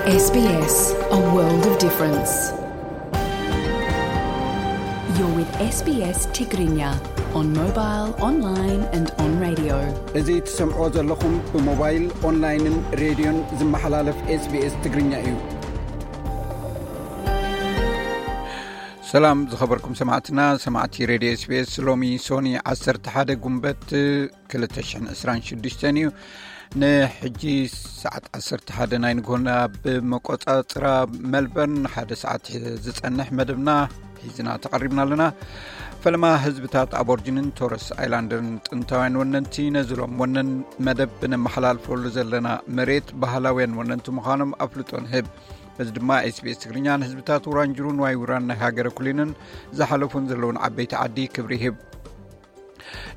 S B S, a world of difference. You're with S B S Tigrinya on mobile, online and on radio. እዚ ትሰምዕዎ ዘለኹም ብሞባይል፣ ኦንላይንን ሬድዮን ዝመሓላለፍ SBS ትግርኛ እዩ። ሰላም ዝኸበርኩም ሰማዕትና፣ ሰማዕቲ ሬድዮ SBS። ሎሚ ሶኒ ዓሰርተ ሓደ ጉንበት ክልተ ሽሕን ዕስራን ሽዱሽተን እዩ። ንሕጂ ሰዓት ዓሰርተ ሓደ ናይ ንጎና ብመቆጻጽራ መልበርን ሓደ ሰዓት ዝጸንሕ መደብና ሒዝና ተቐሪብና ኣለና። ፈለማ ህዝብታት ኣቦርጅንን ቶረስ ኣይላንደርን ጥንታውያን ወነንቲ ነዚ ሎም ወነን መደብ ብነመሓላልፈሉ ዘለና መሬት ባህላውያን ወነንቲ ምዃኖም ኣፍልጦ ንህብ። በዚ ድማ SBS ትግርኛ ንህዝብታት ውራንጅሩን ዋይ ውራን ናይ ሃገረ ኩሊንን ዝሓለፉን ዘለውን ዓበይቲ ዓዲ ክብሪ ይህብ።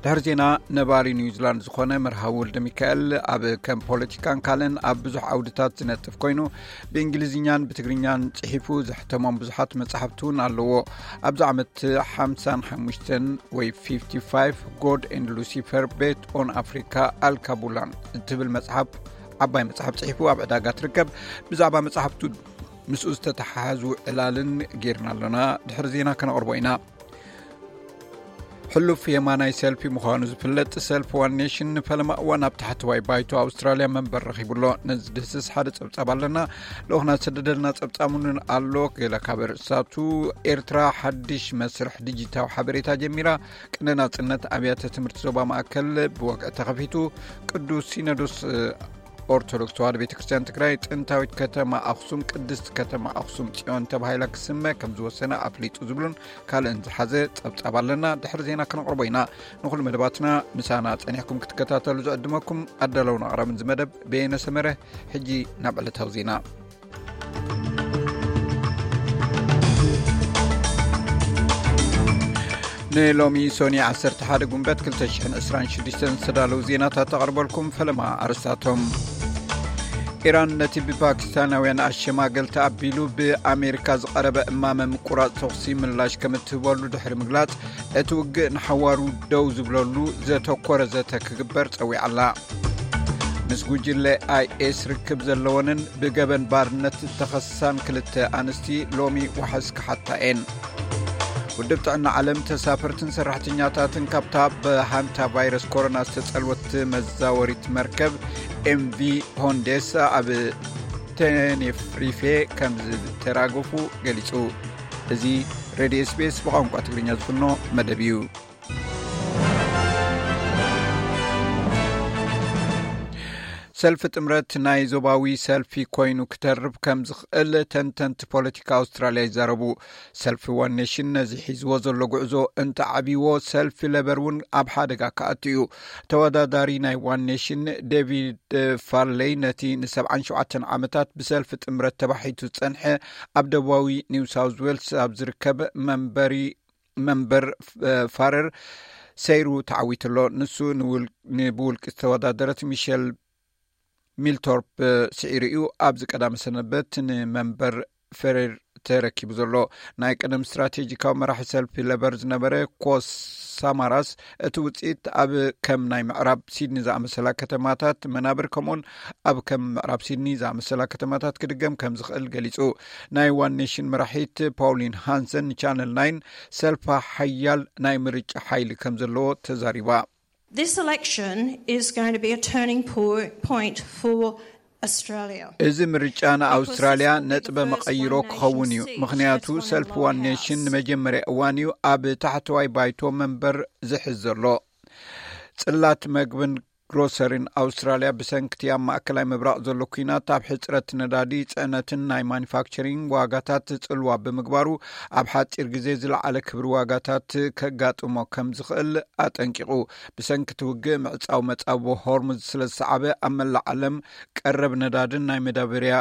ድሕሪ ዜና፣ ነባሪ ኒውዚላንድ ዝኾነ መርሃዊ ወልደ ሚካኤል ኣብ ከም ፖለቲካን ካልእን ኣብ ብዙሕ ዓውድታት ዝነጥፍ ኮይኑ፣ ብእንግሊዝኛን ብትግርኛን ጽሒፉ ዘሕተሞም ብዙሓት መጻሕፍቲ እውን ኣለዎ። ኣብዚ ዓመት ሓምሳን ሓሙሽተን ወይ ፊፍቲ ፋይቭ፣ God and Lucifer፣ Bet on Africa፣ ኣልካቡላን እትብል መጽሓፍ፣ ዓባይ መጽሓፍ ጽሒፉ ኣብ ዕዳጋ ትርከብ። ብዛዕባ መጽሓፍቱ ምስኡ ዝተተሓሓዙ ዕላልን ጌርና ኣሎና። ድሕሪ ዜና ከነቕርቦ ኢና። ሕሉፍ የማናይ ሰልፊ ምዃኑ ዝፍለጥ ሰልፊ ዋን ኔሽን ንፈለማ እዋን ኣብ ታሕተዋይ ባይቶ ኣውስትራልያ መንበር ረኺቡ ኣሎ። ነዚ ድህስስ ሓደ ጸብጻብ ኣለና። ልኡኽና ዝሰደደልና ጸብጻብ እውን ኣሎ። ገለ ካብ ርእሳቱ፣ ኤርትራ ሓድሽ መስርሕ ዲጂታዊ ሓበሬታ ጀሚራ። ቅነ ናጽነት ኣብያተ ትምህርቲ ዞባ ማእከል ብወግዒ ተኸፊቱ። ቅዱስ ሲኖዶስ ኦርቶዶክስ ተዋህዶ ቤተ ክርስቲያን ትግራይ ጥንታዊት ከተማ ኣኽሱም ቅድስት ከተማ ኣኽሱም ጽዮን ተባሂላ ክስመ ከም ዝወሰነ ኣፍሊጡ ዝብሉን ካልእን ዝሓዘ ጸብጻብ ኣለና። ድሕሪ ዜና ክነቕርቦ ኢና። ንኹሉ መደባትና ምሳና ጸኒሕኩም ክትከታተሉ ዝዕድመኩም ኣዳለውን ኣቕራብን ዝመደብ በየነ ሰመረ። ሕጂ ናብ ዕለታዊ ዜና። ንሎሚ ሶኒ ዓሰርተ ሓደ ጉንበት ክልተ ሽሕን ዕስራን ሽዱሽተን ዝተዳለዉ ዜናታት ተቐርበልኩም። ፈለማ ኣርስታቶም። ኢራን ነቲ ብፓኪስታናውያን ኣሸማገልቲ ኣቢሉ ብኣሜሪካ ዝቐረበ እማመ ምቁራጽ ተኹሲ ምላሽ ከም እትህበሉ ድሕሪ ምግላጽ፣ እቲ ውግእ ንሓዋሩ ደው ዝብለሉ ዘተኮረ ዘተ ክግበር ጸዊዓ ኣላ። ምስ ጉጅለ ኣይኤስ ርክብ ዘለወንን ብገበን ባርነት ዝተኸሳን ክልተ ኣንስቲ ሎሚ ዋሕስ ክሓታ እየን። ውድብ ጥዕና ዓለም ተሳፈርትን ሰራሕተኛታትን ካብታ ብሃንታ ቫይረስ ኮሮና ዝተጸልወት መዛወሪት መርከብ ኤምቪ ሆንዴስ ኣብ ቴኔፍሪፌ ከም ዝተራገፉ ገሊጹ። እዚ ሬድዮ SBS ብቋንቋ ትግርኛ ዝፍኖ መደብ እዩ። ሰልፊ ጥምረት ናይ ዞባዊ ሰልፊ ኮይኑ ክተርፍ ከም ዝኽእል ተንተንቲ ፖለቲካ ኣውስትራልያ ይዛረቡ። ሰልፊ ዋን ኔሽን ነዚ ሒዝዎ ዘሎ ጉዕዞ እንተዓብይዎ፣ ሰልፊ ለበር እውን ኣብ ሓደጋ ክኣቱ እዩ። ተወዳዳሪ ናይ ዋን ኔሽን ዴቪድ ፋርሌይ ነቲ ንሰብዓን ሸውዓተን ዓመታት ብሰልፊ ጥምረት ተባሒቱ ዝጸንሐ ኣብ ደቡባዊ ኒው ሳውዝ ዌልስ ኣብ ዝርከብ መንበሪ መንበር ፋረር ሰይሩ ተዓዊቱ ኣሎ። ንሱ ንውል-፣ ንብውልቂ ዝተወዳደረት ሚሸል ሚልቶርፕ ስዒሩ እዩ። ኣብዚ ቀዳመ ሰንበት ንመንበር ፈሬር ተረኪቡ ዘሎ። ናይ ቀደም ስትራቴጂካዊ መራሒ ሰልፊ ለበር ዝነበረ ኮስ ሳማራስ፣ እቲ ውፅኢት ኣብ ከም ናይ ምዕራብ ሲድኒ ዝኣመሰላ ከተማታት መናብር፣ ከምኡውን ኣብ ከም ምዕራብ ሲድኒ ዝኣመሰላ ከተማታት ክድገም ከም ዝኽእል ገሊጹ። ናይ ዋን ኔሽን መራሒት ፓውሊን ሃንሰን ንቻነል ናይን፣ ሰልፋ ሓያል ናይ ምርጫ ሓይሊ ከም ዘለዎ ተዛሪባ። This election is going to be a turning po-, point for Australia. እዚ ምርጫ ንኣውስትራልያ ነጥበ መቐይሮ ክኸውን እዩ፣ ምኽንያቱ ሰልፊ ዋን ኔሽን ንመጀመርያ እዋን እዩ ኣብ ታሕተዋይ ባይቶ መንበር ዝሕዝ ዘሎ። ጽላት መግብን ግሮሰሪን ኣውስትራልያ ብሰንክቲ ኣብ ማእከላይ ምብራቕ ዘሎ ኲናት ኣብ ሕጽረት ነዳዲ፣ ጽዕነትን ናይ ማኑፋክቸሪንግ ዋጋታት ጽልዋ ብምግባሩ፣ ኣብ ሓጺር ግዜ ዝለዓለ ክብሪ ዋጋታት ከጋጥሞ ከም ዝኽእል ኣጠንቂቑ። ብሰንክቲ ውግእ ምዕጻው መጻብቦ ሆርሙዝ ስለ ዝሰዓበ፣ ኣብ መላእ ዓለም ቀረብ ነዳድን ናይ መዳበርያ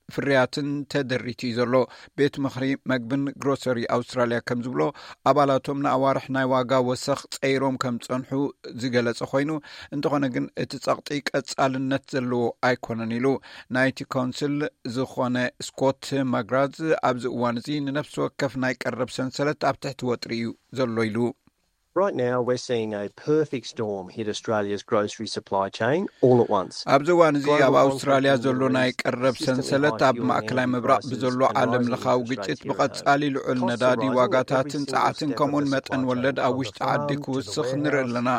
ፍርያትን ተደሪቱ እዩ ዘሎ። ቤት ምኽሪ መግብን ግሮሰሪ ኣውስትራልያ ከም ዝብሎ፣ ኣባላቶም ንኣዋርሕ ናይ ዋጋ ወሰኽ ጸይሮም ከም ጸንሑ ዝገለጸ ኮይኑ፣ እንተኾነ ግን እቲ ጸቕጢ ቀጻልነት ዘለዎ ኣይኮነን ኢሉ። ናይቲ ካውንስል ዝኾነ ስኮት ማግራዝ ኣብዚ እዋን እዚ ንነፍሲ ወከፍ ናይ ቀረብ ሰንሰለት ኣብ ትሕቲ ወጥሪ እዩ ዘሎ ኢሉ። Right now, we're seeing a perfect storm hit Australia's grocery supply chain all at once. ኣብዚ እዋን እዚ ኣብ ኣውስትራልያ ዘሎ ናይ ቀረብ ሰንሰለት ኣብ ማእከላይ ምብራቕ ብዘሎ ዓለም ለኻዊ ግጭት፣ ብቐጻሊ ልዑል ነዳዲ ዋጋታትን ጸዓትን፣ ከምኡን መጠን ወለድ ኣብ ውሽጢ ዓዲ ክውስኽ ንርኢ ኣለና።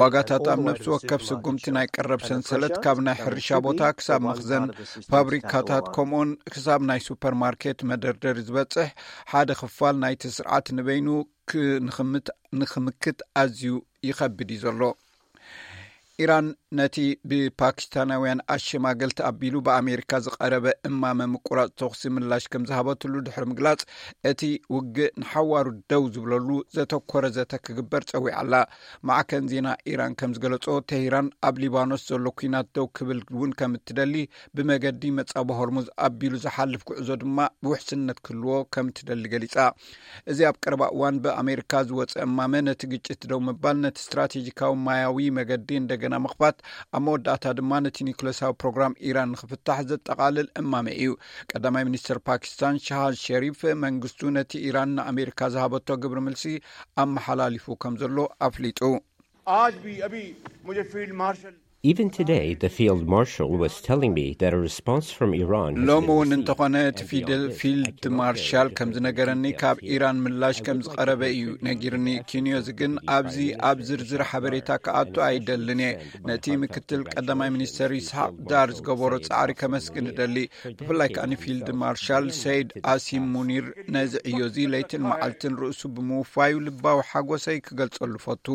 ዋጋታት ኣብ ነፍሲ ወከፍ ስጉምቲ ናይ ቀረብ ሰንሰለት፣ ካብ ናይ ሕርሻ ቦታ ክሳብ መኽዘን ፋብሪካታት፣ ከምኡን ክሳብ ናይ ሱፐርማርኬት መደርደሪ ዝበጽሕ ሓደ ክፋል ናይቲ ስርዓት ንበይኑ ንኽምክት ኣዝዩ ይኸብድ እዩ ዘሎ። ኢራን ነቲ ብፓኪስታናውያን ኣሸማገልቲ ኣቢሉ ብኣሜሪካ ዝቐረበ እማመ ምቁራጽ ተኹሲ ምላሽ ከም ዝሃበትሉ ድሕሪ ምግላጽ፣ እቲ ውግእ ንሓዋሩ ደው ዝብለሉ ዘተኮረ ዘተ ክግበር ጸዊዓ ኣላ። ማዕከን ዜና ኢራን ከም ዝገለጾ፣ ቴህራን ኣብ ሊባኖስ ዘሎ ኲናት ደው ክብል እውን ከም እትደሊ፣ ብመገዲ መጻቢ ሆርሙዝ ኣቢሉ ዝሓልፍ ጉዕዞ ድማ ብውሕስነት ክህልዎ ከም እትደሊ ገሊጻ። እዚ ኣብ ቀረባ እዋን ብኣሜሪካ ዝወጸ እማመ፣ ነቲ ግጭት ደው ምባል፣ ነቲ ስትራቴጂካዊ ማያዊ መገዲ እንደገና ምኽፋት፣ ኣብ መወዳእታ ድማ ነቲ ኒውክለሳዊ ፕሮግራም ኢራን ንኽፍታሕ ዘጠቓልል እማመ እዩ። ቀዳማይ ሚኒስትር ፓኪስታን ሻህባዝ ሸሪፍ፣ መንግስቱ ነቲ ኢራን ንኣሜሪካ ዝሃበቶ ግብሪ ምልሲ ኣመሓላሊፉ ከም ዘሎ ኣፍሊጡ። आज भी अभी मुझे field marshal Even today, the field marshal was telling me that a response from Iran has ሎሚ been እውን received. እንተኾነ እቲ ፊደል ፊልድ ማርሻል ከም ዝነገረኒ፣ ካብ ኢራን ምላሽ ከም ዝቐረበ እዩ ነጊርኒ። ኪንዮዚ ግን ኣብዚ ኣብ ዝርዝር ሓበሬታ ክኣቱ ኣይደልን እየ። ነቲ ምክትል ቀዳማይ ሚኒስተር ይስሓቅ ዳር ዝገበሮ ጻዕሪ ከመስግን እደሊ። ብፍላይ ከኣ ንፊልድ ማርሻል ሰይድ ኣሲም ሙኒር ነዚ ዕዮ እዚ ለይትን መዓልትን ርእሱ ብምውፋዩ ልባዊ ሓጎሰይ ክገልጸሉ ፈቱ።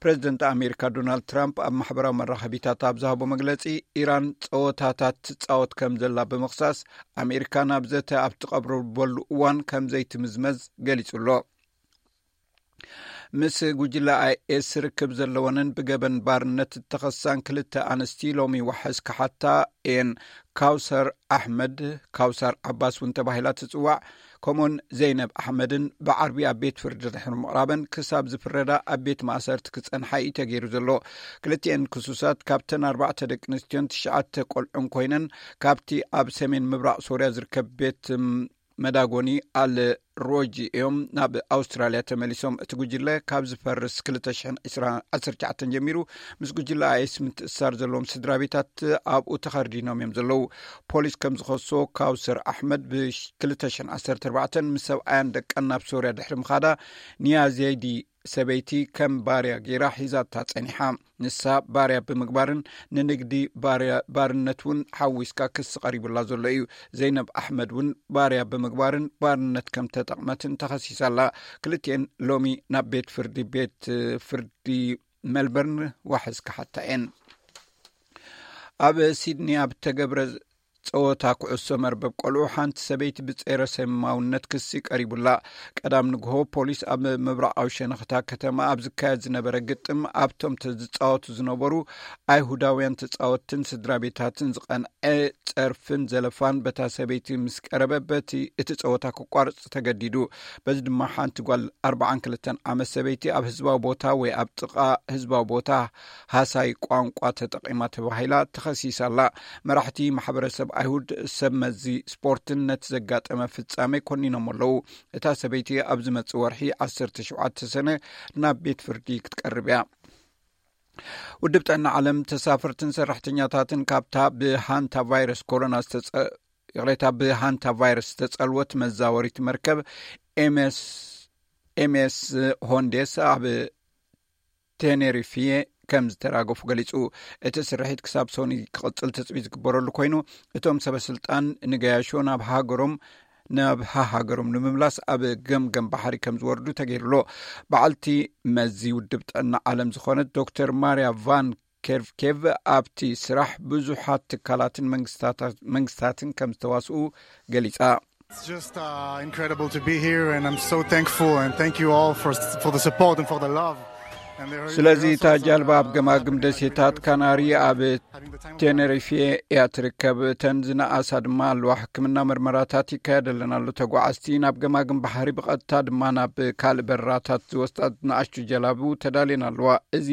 ፕረዚደንት ኣሜሪካ ዶናልድ ትራምፕ ኣብ ማሕበራዊ መራኸቢታት ኣብ ዝሃቦ መግለጺ፣ ኢራን ጸወታታት ትጻወት ከም ዘላ ብምኽሳስ፣ ኣሜሪካ ናብ ዘተ ኣብ ትቐርበሉ እዋን ከም ዘይትምዝመዝ ገሊጹ ኣሎ። ምስ ጉጅለ ኣይኤስ ርክብ ዘለወንን ብገበን ባርነት እተኸሳን ክልተ ኣንስቲ ሎሚ ዋሕስ ክሓታ እየን። ካውሰር ኣሕመድ፣ ካውሳር ዓባስ እውን ተባሂላ ትጽዋዕ፣ ከምኡን ዘይነብ ኣሕመድን ብዓርቢ ኣብ ቤት ፍርዲ ድሕሪ ምቕራበን ክሳብ ዝፍረዳ ኣብ ቤት ማእሰርቲ ክጸንሓ እዩ ተገይሩ ዘሎ። ክልቲኤን ክሱሳት ካብተን ኣርባዕተ ደቂ ኣንስትዮን ትሽዓተ ቆልዑን ኮይነን፣ ካብቲ ኣብ ሰሜን ምብራቕ ሶርያ ዝርከብ ቤት መዳጎኒ ኣል ሮጂ እዮም ናብ ኣውስትራልያ ተመሊሶም። እቲ ጉጅለ ካብ ዝፈርስ ክልተ ሽሕን ዕስራን ዓሰርተ ትሽዓተን ጀሚሩ ምስ ጉጅለ ኣይኤስ ምትእስሳር ዘለዎም ስድራ ቤታት ኣብኡ ተኸርዲኖም እዮም ዘለዉ። ፖሊስ ከም ዝኸሶ፣ ካውሰር ኣሕመድ ብ2014 ምስ ሰብኣያን ደቃን ናብ ሶርያ ድሕሪ ምኻዳ፣ ንያዜዲ ሰበይቲ ከም ባርያ ገይራ ሒዛታ ጸኒሓ። ንሳ ባርያ ብምግባርን ንንግዲ ባርነት እውን ሓዊስካ ክሲ ቀሪቡላ ዘሎ እዩ። ዘይነብ ኣሕመድ እውን ባርያ ብምግባርን ባርነት ከም ተጠቕመትን ተኸሲሳ ኣላ። ክልቲኤን ሎሚ ናብ ቤት ፍርዲ ቤት ፍርዲ ሜልበርን ዋሕስ ክሓታ እየን። ኣብ ሲድኒ ኣብ ተገብረ ጸወታ ኩዕሶ መርበብ ቆልዑ ሓንቲ ሰበይቲ ብጸረ ሰማውነት ክሲ ቀሪቡላ። ቀዳም ንግሆ ፖሊስ ኣብ ምብራቓዊ ሸነኽታ ከተማ ኣብ ዝካየድ ዝነበረ ግጥም ኣብቶም ዝጻወቱ ዝነበሩ ኣይሁዳውያን ተጻወትትን ስድራ ቤታትን ዝቐንዐ ጸርፍን ዘለፋን በታ ሰበይቲ ምስ ቀረበ በቲ እቲ ጸወታ ክቋርጽ ተገዲዱ። በዚ ድማ ሓንቲ ጓል ኣርባዓን ክልተን ዓመት ሰበይቲ ኣብ ህዝባዊ ቦታ ወይ ኣብ ጥቓ ህዝባዊ ቦታ ሃሳይ ቋንቋ ተጠቒማ ተባሂላ ተኸሲሳ ኣላ። መራሕቲ ማሕበረሰብ ኣይሁድ ሰብ መዚ ስፖርትን ነቲ ዘጋጠመ ፍጻሜ ኮኒኖም ኣለዉ። እታ ሰበይቲ ኣብ ዝመጽእ ወርሒ ዓሰርተ ሸውዓተ ሰነ ናብ ቤት ፍርዲ ክትቀርብ እያ። ውድብ ጥዕና ዓለም ተሳፈርትን ሰራሕተኛታትን ካብታ ብሃንታ ቫይረስ ኮሮና ዝተጸ ይቕሬታ ብሃንታ ቫይረስ ዝተጸልወት መዛወሪት መርከብ ኤምኤስ ኤምኤስ ሆንዴስ ኣብ ቴኔሪፊየ ከም ዝተራገፉ ገሊጹ። እቲ ስርሒት ክሳብ ሶኒ ክቕጽል ትጽቢት ዝግበረሉ ኮይኑ፣ እቶም ሰበ ስልጣን ንገያሾ ናብ ሃገሮም ናብ ሃሃገሮም ንምምላስ ኣብ ገምገም ባሕሪ ከም ዝወርዱ ተገይሩሎ። በዓልቲ መዚ ውድብ ጥዕና ዓለም ዝኾነት ዶክተር ማርያ ቫን ኬርቭኬቭ ኣብቲ ስራሕ ብዙሓት ትካላትን መንግስታትን ከም ዝተዋስኡ ገሊጻ። It's just uh, incredible to be here, and I'm so thankful and thank you all for for the support and for the love. ስለዚ እታ ጃልባ ኣብ ገማግም ደሴታት ካናሪ ኣብ ቴነሪፌ እያ ትርከብ። እተን ዝነኣሳ ድማ ኣለዋ። ሕክምና መርመራታት ይካየደለን ኣሎ። ተጓዓዝቲ ናብ ገማግም ባሕሪ ብቐጥታ ድማ ናብ ካልእ በረራታት ዝወስዳ ንኣሽቱ ጀላቡ ተዳልየን ኣለዋ። እዚ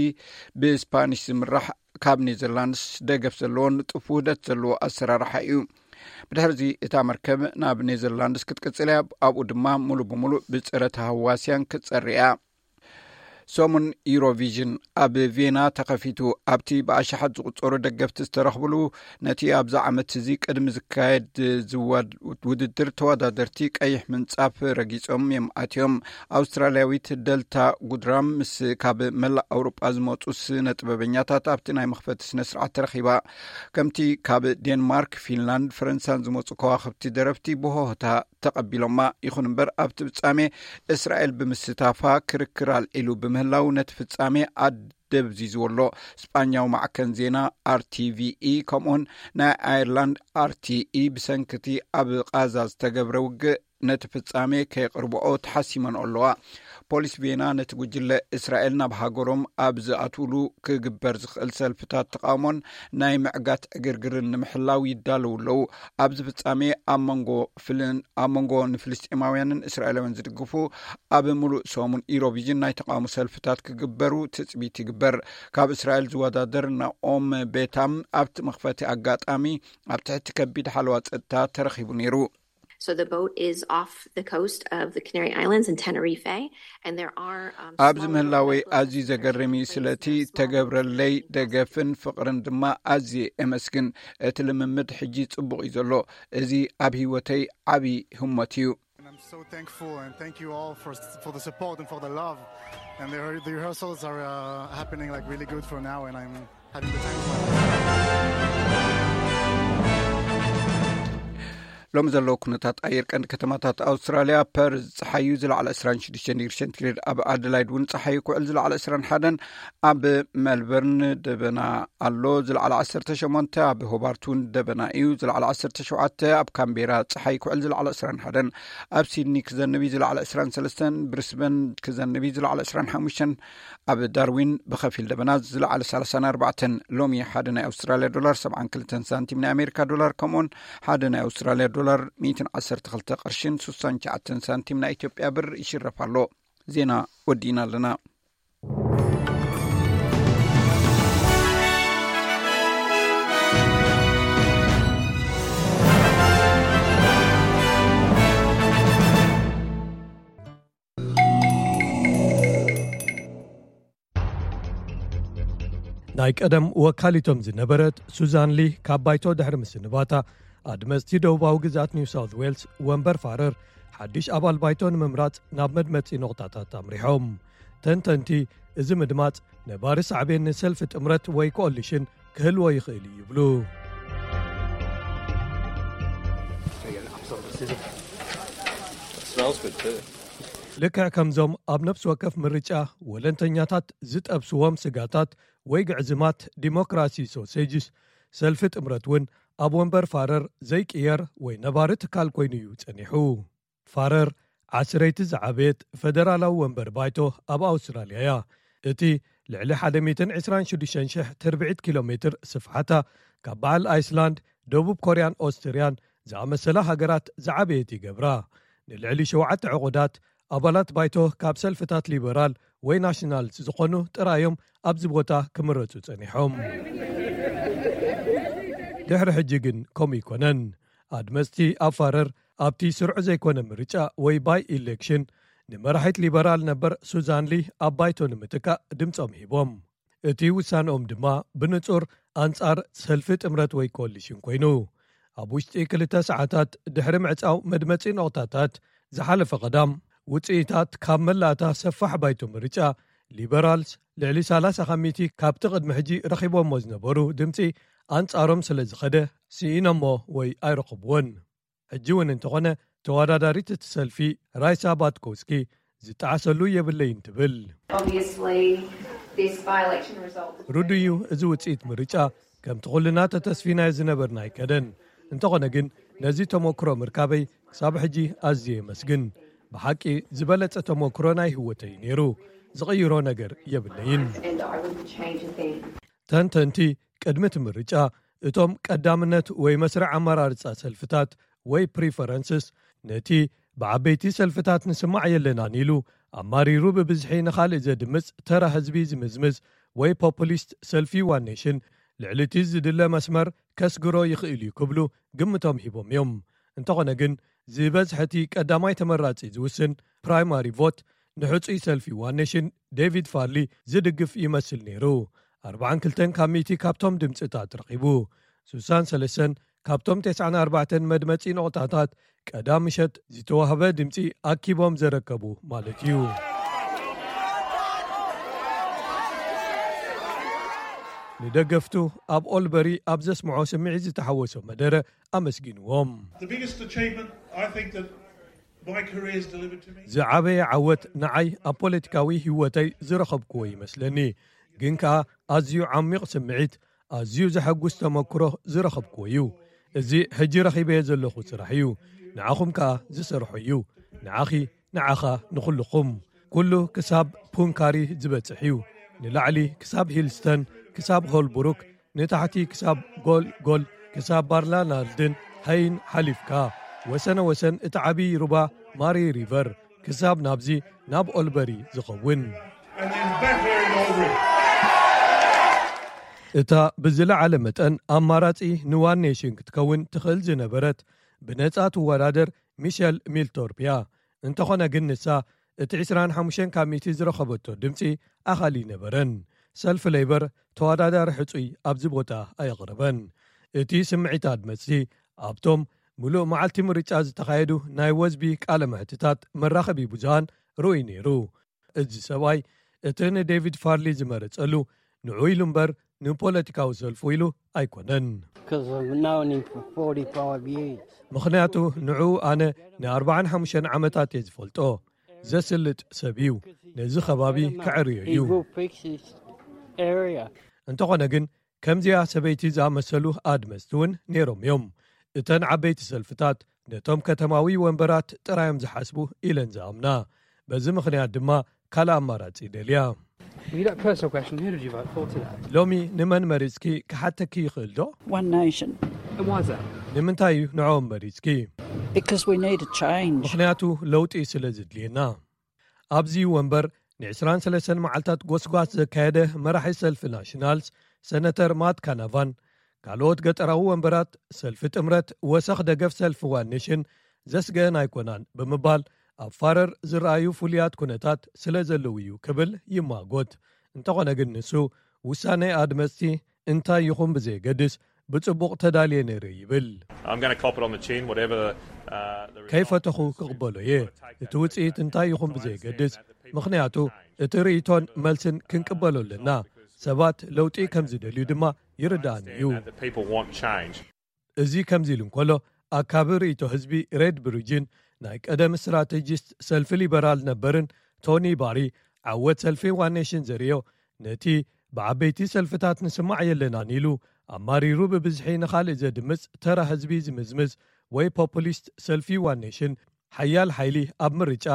ብስፓኒሽ ዝምራሕ ካብ ኔዘርላንድስ ደገፍ ዘለዎ ንጡፍ ውህደት ዘለዎ ኣሰራርሓ እዩ። ብድሕርዚ እታ መርከብ ናብ ኔዘርላንድስ ክትቅጽል እያ። ኣብኡ ድማ ሙሉ ብሙሉ ብጸረ ተሃዋስያን ክትጸሪ እያ። ሰሙን ኢሮቪዥን ኣብ ቬና ተኸፊቱ፣ ኣብቲ ብኣሽሓት ዝቑጸሩ ደገፍቲ ዝተረኽብሉ፣ ነቲ ኣብዚ ዓመት እዚ ቅድሚ ዝካየድ ዝወድ-፣ ውድድር ተወዳደርቲ ቀይሕ ምንጻፍ ረጊጾም እዮም ኣትዮም። ኣውስትራልያዊት ደልታ ጉድራም ምስ ካብ መላእ ኣውሮጳ ዝመጹ ስነ ጥበበኛታት ኣብቲ ናይ መኽፈቲ ስነ ስርዓት ተረኺባ። ከምቲ ካብ ዴንማርክ፣ ፊንላንድ፣ ፈረንሳን ዝመጹ ከዋኽብቲ ደረፍቲ ብሆህታ ተቐቢሎማ። ይኹን እምበር ኣብቲ ፍጻሜ እስራኤል ብምስታፋ ክርክር ኣልዒሉ ብምህላው ነቲ ፍጻሜ ኣደብዚዝዎ ኣሎ። ስጳኛዊ ማዕከን ዜና ኣርቲቪኢ ከምኡውን ናይ ኣየርላንድ ኣርቲኢ ብሰንክቲ ኣብ ቃዛ ዝተገብረ ውግእ ነቲ ፍጻሜ ከየቕርብኦ ተሓሲመን ኣለዋ። ፖሊስ ቬና ነቲ ጉጅለ እስራኤል ናብ ሃገሮም ኣብ ዝኣትውሉ ክግበር ዝኽእል ሰልፍታት ተቓውሞን ናይ ምዕጋት ዕግርግርን ንምሕላው ይዳለዉ ኣለዉ። ኣብዚ ፍጻሜ ኣብ መንጎ ፍልን-፣ ኣብ መንጎ ንፍልስጤማውያንን እስራኤላውያን ዝድግፉ ኣብ ምሉእ ሰሙን ኢሮቪዥን ናይ ተቓውሞ ሰልፍታት ክግበሩ ትጽቢት ይግበር። ካብ እስራኤል ዝወዳደር ናኦም ቤታም ኣብቲ መኽፈቲ ኣጋጣሚ ኣብ ትሕቲ ከቢድ ሓለዋ ጸጥታ ተረኺቡ ነይሩ። So the boat is off the coast of the Canary Islands in Tenerife, and there are, um, ኣብዚ small ምህላወይ networks ኣዝዩ of ዘገርም እዩ። Christian ስለቲ places, small ተገብረለይ ደገፍን ፍቕርን ድማ ኣዝየ እመስግን። እቲ ልምምድ ሕጂ ጽቡቕ እዩ ዘሎ። እዚ ኣብ ህይወተይ ዓቢ ህሞት እዩ። And I'm so thankful and thank you all for, for the support and for the love. And the, the rehearsals are, uh, happening, like, really good for now, and I'm having the time of my life. ሎሚ ዘለዉ ኩነታት ኣየር ቀንዲ ከተማታት ኣውስትራልያ፣ ፐርዝ ጸሓዩ ዝለዓለ ዕስራን ሽዱሽተን ዲግሪ ሴንቲግሬድ፣ ኣብ ኣደላይድ እውን ጸሓዩ ክውዕል ዝለዓለ ዕስራን ሓደን፣ ኣብ ሜልበርን ደበና ኣሎ ዝለዓለ ዓሰርተ ሸሞንተ፣ ኣብ ሆባርት እውን ደበና እዩ ዝለዓለ ዓሰርተ ሸውዓተ፣ ኣብ ካምቤራ ጸሓይ ክውዕል ዝለዓለ ዕስራን ሓደን፣ ኣብ ሲድኒ ክዘንብ እዩ ዝለዓለ ዕስራን ሰለስተን፣ ብሪስበን ክዘንብ እዩ ዝለዓለ ዕስራን ሓሙሽተን፣ ኣብ ዳርዊን ብኸፊል ደበና ዝለዓለ ሰላሳን ኣርባዕተን። ሎሚ ሓደ ናይ ኣውስትራልያ ዶላር ሰብዓን ክልተን ሳንቲም፣ ናይ ኣሜሪካ ዶላር ከምኡውን ሓደ ናይ ኣውስትራልያ ዶላር ሚእትን ዓሰርተ ክልተ ቅርሽን ስሳን ትሽዓተን ሳንቲም ናይ ኢትዮጵያ ብር ይሽረፍ ኣሎ። ዜና ወዲእና ኣለና። ናይ ቀደም ወካሊቶም ዝነበረት ሱዛን ሊ ካብ ባይቶ ድሕሪ ምስንባታ፣ ኣድመፅቲ ደቡባዊ ግዝኣት ኒው ሳውት ዌልስ ወንበር ፋረር ሓድሽ ኣባል ባይቶ ንምምራፅ ናብ መድመፂ ነቑጣታት ኣምሪሖም። ተንተንቲ፣ እዚ ምድማፅ ነባሪ ሳዕቤን ንሰልፊ ጥምረት ወይ ኮኦሊሽን ክህልዎ ይኽእል እዩ ይብሉ። Smells good too. ልክዕ ከምዞም ኣብ ነፍሲ ወከፍ ምርጫ ወለንተኛታት ዝጠብስዎም ስጋታት ወይ ግዕዝማት ዲሞክራሲ ሶሴጅስ፣ ሰልፊ ጥምረት እውን ኣብ ወንበር ፋረር ዘይቅየር ወይ ነባሪ ትካል ኮይኑ እዩ ጸኒሑ። ፋረር ዓስረይቲ ዝዓበየት ፈደራላዊ ወንበር ባይቶ ኣብ ኣውስትራልያ እያ። እቲ ልዕሊ ሓደ ሚእትን ዕስራን ሽዱሽተን ሽሕ ትርብዒት ኪሎ ሜትር ስፍሓታ ካብ በዓል ኣይስላንድ፣ ደቡብ ኮርያን ኦስትርያን ዝኣመሰላ ሃገራት ዝዓበየት ይገብራ። ንልዕሊ ሸውዓተ ዕቑዳት ኣባላት ባይቶ ካብ ሰልፍታት ሊበራል ወይ ናሽናልስ ዝኾኑ ጥራዮም ኣብዚ ቦታ ክምረጹ ጸኒሖም። ድሕሪ ሕጂ ግን ከምኡ ኣይኮነን። ኣድመጽቲ ኣብ ፋረር ኣብቲ ስሩዕ ዘይኮነ ምርጫ ወይ ባይ ኢሌክሽን ንመራሒት ሊበራል ነበር ሱዛን ሊ ኣብ ባይቶ ንምትካእ ድምጾም ሂቦም። እቲ ውሳንኦም ድማ ብንጹር ኣንጻር ሰልፊ ጥምረት ወይ ኮሊሽን ኮይኑ። ኣብ ውሽጢ ክልተ ሰዓታት ድሕሪ ምዕጻው መድመጺ ነቑጣታት ዝሓለፈ ቀዳም፣ ውጽኢታት ካብ መላእታ ሰፋሕ ባይቶ ምርጫ፣ ሊበራልስ ልዕሊ ሰላሳ ካብ ሚእቲ ካብቲ ቅድሚ ሕጂ ረኺቦሞ ዝነበሩ ድምጺ ኣንጻሮም ስለ ዝኸደ፣ ስኢኖሞ ወይ ኣይረኸብዎን። ሕጂ እውን እንተኾነ፣ ተወዳዳሪት እቲ ሰልፊ ራይሳ ባትኮውስኪ ዝጠዓሰሉ የብለይን ትብል። Obviously, this by-election result was ርዱይ እዩ፣ እዚ ውጽኢት ምርጫ ከምቲ ኩልና ተተስፊናዮ ዝነበርና ኣይከደን። እንተኾነ ግን፣ ነዚ ተመክሮ ምርካበይ ክሳብ ሕጂ ኣዝየ የመስግን። ብሓቂ ዝበለጸ ተመክሮ ናይ ህይወተይ ነይሩ። ዝቕይሮ ነገር የብለይን። And I wouldn't change a thing. ተንተንቲ፣ ቅድሚ እቲ ምርጫ እቶም ቀዳምነት ወይ መስርዕ ኣመራርጻ ሰልፍታት ወይ ፕሪፈረንስስ ነቲ ብዓበይቲ ሰልፍታት ንስማዕ የለናን ኢሉ ኣማሪሩ ብብዝሒ ንኻልእ ዘድምጽ ተራ ህዝቢ ዝምዝምዝ ወይ ፖፑሊስት ሰልፊ ዋን ኔሽን ልዕሊ እቲ ዝድለ መስመር ከስግሮ ይኽእል እዩ ክብሉ ግምቶም ሂቦም እዮም። እንተኾነ ግን ዝበዝሐ እቲ ቀዳማይ ተመራጺ ዝውስን ፕራይማሪ ቮት ንሕጹይ ሰልፊ ዋን ኔሽን ዴቪድ ፋርሊ ዝድግፍ ይመስል ነይሩ። ኣርባዓን ክልተን ካብ ሚእቲ ካብቶም ድምጽታት ረኺቡ። ሱሳን ሰለሰን ካብቶም ተስዓን ኣርባዕተን መድመጺ ነቑጣታት ቀዳም ምሸት ዝተዋህበ ድምጺ ኣኪቦም ዘረከቡ ማለት እዩ። ንደገፍቱ ኣብ ኦልበሪ ኣብ ዘስምዖ ስምዒት ዝተሓወሶ መደረ ኣመስጊንዎም። The biggest achievement I think that my career has delivered to me. ዝዓበየ ዓወት ንዓይ ኣብ ፖለቲካዊ ህይወተይ ዝረኸብክዎ ይመስለኒ። ግን ከኣ ኣዝዩ ዓሚቕ ስምዒት፣ ኣዝዩ ዘሐጉስ ተመክሮ ዝረኸብክዎ እዩ። እዚ ሕጂ ረኺበዮ ዘለኹ ስራሕ እዩ። ንዓኹም ከኣ ዝሰርሖ እዩ። ንዓኺ፣ ንዓኻ፣ ንኹልኹም። ኩሉ ክሳብ ፑንካሪ ዝበጽሕ እዩ። ንላዕሊ ክሳብ ሂልስተን፣ ክሳብ ሆልብሩክ፣ ንታሕቲ ክሳብ ጎል ጎል፣ ክሳብ ባርላናልድን ሃይን ሓሊፍካ፣ ወሰነ ወሰን እቲ ዓብዪ ሩባ ማሪ ሪቨር፣ ክሳብ ናብዚ ናብ ኦልበሪ ዝኸውን። And there's better in Albury. እታ ብዝለዓለ መጠን ኣማራጺ ንዋን ኔሽን ክትከውን ትኽእል ዝነበረት ብነጻ ትወዳደር ሚሸል ሚልቶርፕ እያ። እንተኾነ ግን ንሳ እቲ ዕስራን ሓሙሽተን ካብ ሚእቲ ዝረኸበቶ ድምጺ ኣኻሊ ነበረን። ሰልፊ ሌበር ተወዳዳሪ ሕጹይ ኣብዚ ቦታ ኣየቕረበን። እቲ ስምዒት ኣድመጽቲ ኣብቶም ምሉእ መዓልቲ ምርጫ ዝተኻየዱ ናይ ወዝቢ ቃለ መሕትታት መራኸቢ ብዙሃን ርኡይ ነይሩ። እዚ ሰብኣይ እቲ ንዴቪድ ፋርሊ ዝመረጸሉ ንዑ ኢሉ እምበር ንፖለቲካዊ ሰልፉ ኢሉ ኣይኮነን። Because I've known him for forty-five years. ምኽንያቱ ንዑ ኣነ ንኣርባዓን ሓሙሽተን ዓመታት እየ ዝፈልጦ። ዘስልጥ ሰብ እዩ። ነዚ ከባቢ ከዕርዮ እዩ። He will fix this area. እንተኾነ ግን ከምዚኣ ሰበይቲ ዝኣመሰሉ ኣድመፅቲ እውን ነይሮም እዮም። እተን ዓበይቲ ሰልፍታት ነቶም ከተማዊ ወንበራት ጥራዮም ዝሓስቡ ኢለን ዝኣምና። በዚ ምኽንያት ድማ ካልእ ኣማራፂ ደልያ። Well, you got a personal question. Who did you vote for today? ሎሚ ንመን መሪፅኪ ክሓተኪ ይኽእል ዶ? One nation. And why is that? ንምንታይ እዩ ንዕኦም መሪፅኪ? Because we need a change. ምኽንያቱ ለውጢ ስለ ዝድልየና። ኣብዚ ወንበር ን23 መዓልታት ጎስጓስ ዘካየደ መራሒ ሰልፊ ናሽናልስ ሰነተር ማት ካናቫን ካልኦት ገጠራዊ ወንበራት ሰልፊ ጥምረት ወሰኽ ደገፍ ሰልፊ ዋን ኔሽን ዘስገአን ኣይኮናን ብምባል ኣብ ፋረር ዝረኣዩ ፍሉያት ኩነታት ስለ ዘለዉ እዩ ክብል ይማጎት። እንተኾነ ግን ንሱ ውሳነ ኣድመፅቲ እንታይ ይኹን ብዘየገድስ ብጽቡቕ ተዳልየ ነይረ ይብል። I'm going to cop it on the chin, whatever uh, the result. ከይፈተኹ ክቕበሎ እየ። እቲ ውፅኢት እንታይ ይኹን ብዘየገድስ፣ ምኽንያቱ እቲ ርእይቶን መልስን ክንቅበሎ ኣለና። ሰባት ለውጢ ከም ዝደልዩ ድማ ይርዳእኒ እዩ። That people want change. እዚ ከምዚ ኢሉ እንከሎ፣ ኣካቢ ርእይቶ ህዝቢ ሬድ ብሪጅን ናይ ቀደም ስትራቴጂስት ሰልፊ ሊበራል ነበርን ቶኒ ባሪ ዓወት ሰልፊ ዋን ኔሽን ዘርእዮ ነቲ ብዓበይቲ ሰልፍታት ንስማዕ የለናን ኢሉ ኣማሪሩ ብብዝሒ ንኻልእ ዘድምፅ ተራ ህዝቢ ዝምዝምዝ ወይ ፖፑሊስት ሰልፊ ዋን ኔሽን ሓያል ሓይሊ ኣብ ምርጫ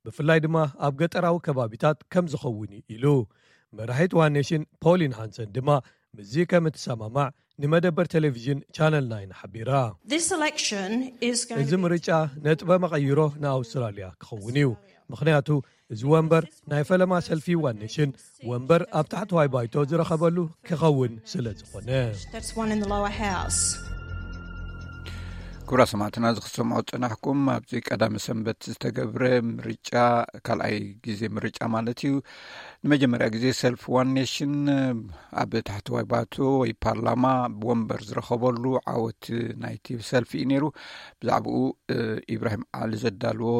ብፍላይ ድማ ኣብ ገጠራዊ ከባቢታት ከም ዝኸውን እዩ ኢሉ። መራሒት ዋን ኔሽን ፖሊን ሃንሰን ድማ ምስዚ ከም እትሰማማዕ ንመደበር ቴሌቪዥን ቻነል ናይን ሓቢራ። This election is going እዚ to be ምርጫ ነጥበ መቐይሮ ንኣውስትራልያ ክኸውን እዩ። ምኽንያቱ እዚ ወንበር ናይ ፈለማ ሰልፊ ዋን ኔሽን ወንበር ኣብ ታሕተዋይ ባይቶ ዝረኸበሉ ክኸውን ስለ ዝኾነ። That's one in the lower house. ክቡራ ሰማዕትና፣ እዚ ክትሰምዑ ዝጸናሕኩም ኣብዚ ቀዳሚ ሰንበት ዝተገብረ ምርጫ፣ ካልኣይ ግዜ ምርጫ ማለት እዩ። ንመጀመርያ ግዜ ሰልፍ ዋን ኔሽን ኣብ ታሕተዋይ ባይቶ ወይ ፓርላማ ወንበር ዝረኸበሉ ዓወት ናይቲ ሰልፊ እዩ ነይሩ። ብዛዕባኡ ኢብራሂም ዓሊ ዘዳልዎ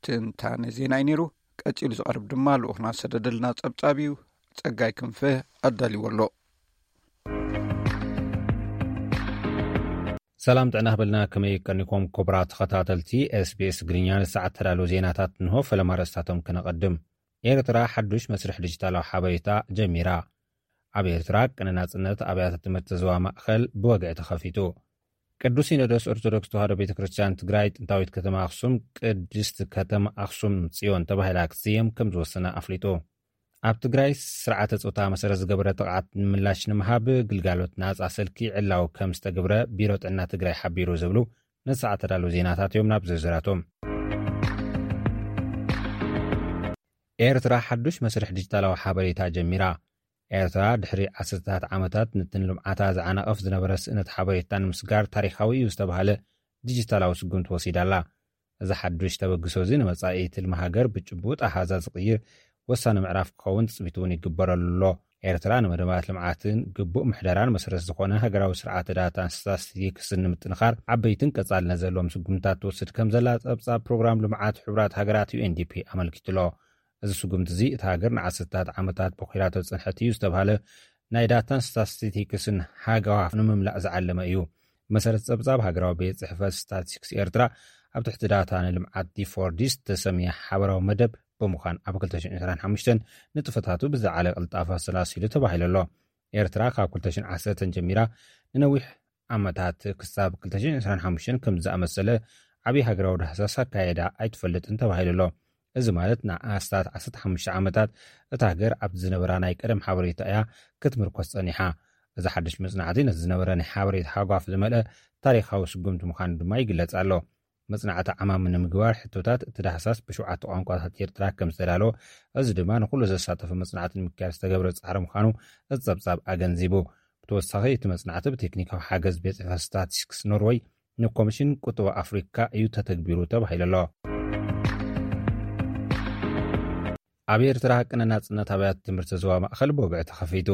ትንታነ ዜና እዩ ነይሩ። ቀጺሉ ዝቐርብ ድማ ልኡኽና ዝሰደደልና ጸብጻብ እዩ። ጸጋይ ክንፈ ኣዳልዎ ኣሎ። ሰላም ጥዕና ክበልና። ከመይ ቀኒኩም ክቡራት ተኸታተልቲ ኤስቢኤስ ትግርኛ? ንሰዓት ተዳለዉ ዜናታት እንሆ። ፈለማ ርእስታቶም ክነቐድም። ኤርትራ ሓዱሽ መስርሕ ዲጂታላዊ ሓበሬታ ጀሚራ። ኣብ ኤርትራ ቅነ ናጽነት ኣብያተ ትምህርቲ ዞባ ማእከል ብወግዒ ተኸፊቱ። ቅዱስ ሲኖዶስ ኦርቶዶክስ ተዋህዶ ቤተ ክርስቲያን ትግራይ ጥንታዊት ከተማ ኣኽሱም ቅድስት ከተማ ኣኽሱም ጽዮን ተባሂላ ክትስየም ከም ዝወሰነ ኣፍሊጡ። ኣብ ትግራይ ስርዓተ ጾታ መሰረት ዝገበረ ጥቕዓት ምላሽ ንምሃብ ግልጋሎት ናጻ ስልኪ ዕላዊ ከም ዝተገብረ ቢሮ ጥዕና ትግራይ ሓቢሩ ዝብሉ ንሰዓት ተዳለዉ ዜናታት እዮም። ናብ ዝርዝራቶም። ኤርትራ ሓዱሽ መስርሕ ዲጂታላዊ ሓበሬታ ጀሚራ። ኤርትራ ድሕሪ ዓሰርተታት ዓመታት ነቲ ንልምዓታ ዝዓናቕፍ ዝነበረ ስእነት ሓበሬታ ንምስጋር ታሪኻዊ እዩ ዝተባህለ ዲጂታላዊ ስጉምቲ ወሲዳ ኣላ። እዚ ሓዱሽ ተበግሶ እዚ ንመጻኢ ትልሚ ሃገር ብጭቡጥ ኣሃዛ ዝቕይር ወሳኒ ምዕራፍ ክኸውን ትጽቢት እውን ይግበረሉ ኣሎ። ኤርትራ ንመደባት ልምዓትን ግቡእ ምሕደራን መሰረት ዝኾነ ሃገራዊ ስርዓተ ዳታን ስታትስቲክስን ንምጥንኻር ዓበይትን ቀጻልነት ዘለዎም ስጉምታት ትወስድ ከም ዘላ ጸብጻብ ፕሮግራም ልምዓት ሕቡራት ሃገራት ዩ ኤን ዲ ፒ ኣመልኪቱ ኣሎ። እዚ ስጉምቲ እዚ እታ ሃገር ንዓሰርታት ዓመታት በኺራቶ ዝጸንሐት እዩ ዝተባህለ ናይ ዳታን ስታትስቲክስን ሃገዋ ንምምላእ ዝዓለመ እዩ። መሰረት ጸብጻብ ሃገራዊ ቤት ጽሕፈት ስታትስቲክስ ኤርትራ ኣብ ትሕቲ ዳታ ንልምዓት ዲ ፎር ዲ ዝተሰምየ ሓበራዊ መደብ ብምዃን ኣብ ክልተ ሽሕን ዕስራን ሓሙሽተን ንጥፈታቱ ብዝለዓለ ቅልጣፈ ኣሰላሲሉ ተባሂሉ ኣሎ። ኤርትራ ካብ ክልተ ሽሕን ዓሰርተን ጀሚራ ንነዊሕ ዓመታት ክሳብ ክልተ ሽሕን ዕስራን ሓሙሽተን ከም ዝኣመሰለ ዓብዪ ሃገራዊ ዳህሳስ ኣካየዳ ኣይትፈልጥን ተባሂሉ ኣሎ። እዚ ማለት ንኣስታት ዓሰርተ ሓሙሽተ ዓመታት እታ ሃገር ኣብቲ ዝነበራ ናይ ቀደም ሓበሬታ እያ ክትምርኮስ ጸኒሓ። እዚ ሓድሽ መጽናዕቲ ነቲ ዝነበረ ናይ ሓበሬታ ሃጓፍ ዝመልአ ታሪኻዊ ስጉምቲ ምዃኑ ድማ ይግለጽ ኣሎ። መጽናዕቲ ዓማሚ ንምግባር ሕቶታት እቲ ዳህሳስ ብሸውዓተ ቋንቋታት ኤርትራ ከም ዝተዳለወ፣ እዚ ድማ ንኹሉ ዘሳተፈ መጽናዕቲ ንምክያድ ዝተገብረ ጻዕሪ ምዃኑ እቲ ጸብጻብ ኣገንዚቡ። ብተወሳኺ እቲ መጽናዕቲ ብቴክኒካዊ ሓገዝ ቤት ጽሕፈት ስታትስቲክስ ኖርወይ ንኮሚሽን ቁጠባ ኣፍሪካ እዩ ተተግቢሩ ተባሂሉ ኣሎ። ኣብ ኤርትራ ቅነ ናጽነት ኣብያተ ትምህርቲ ዞባ ማእኸል ብወግዒ ተኸፊቱ።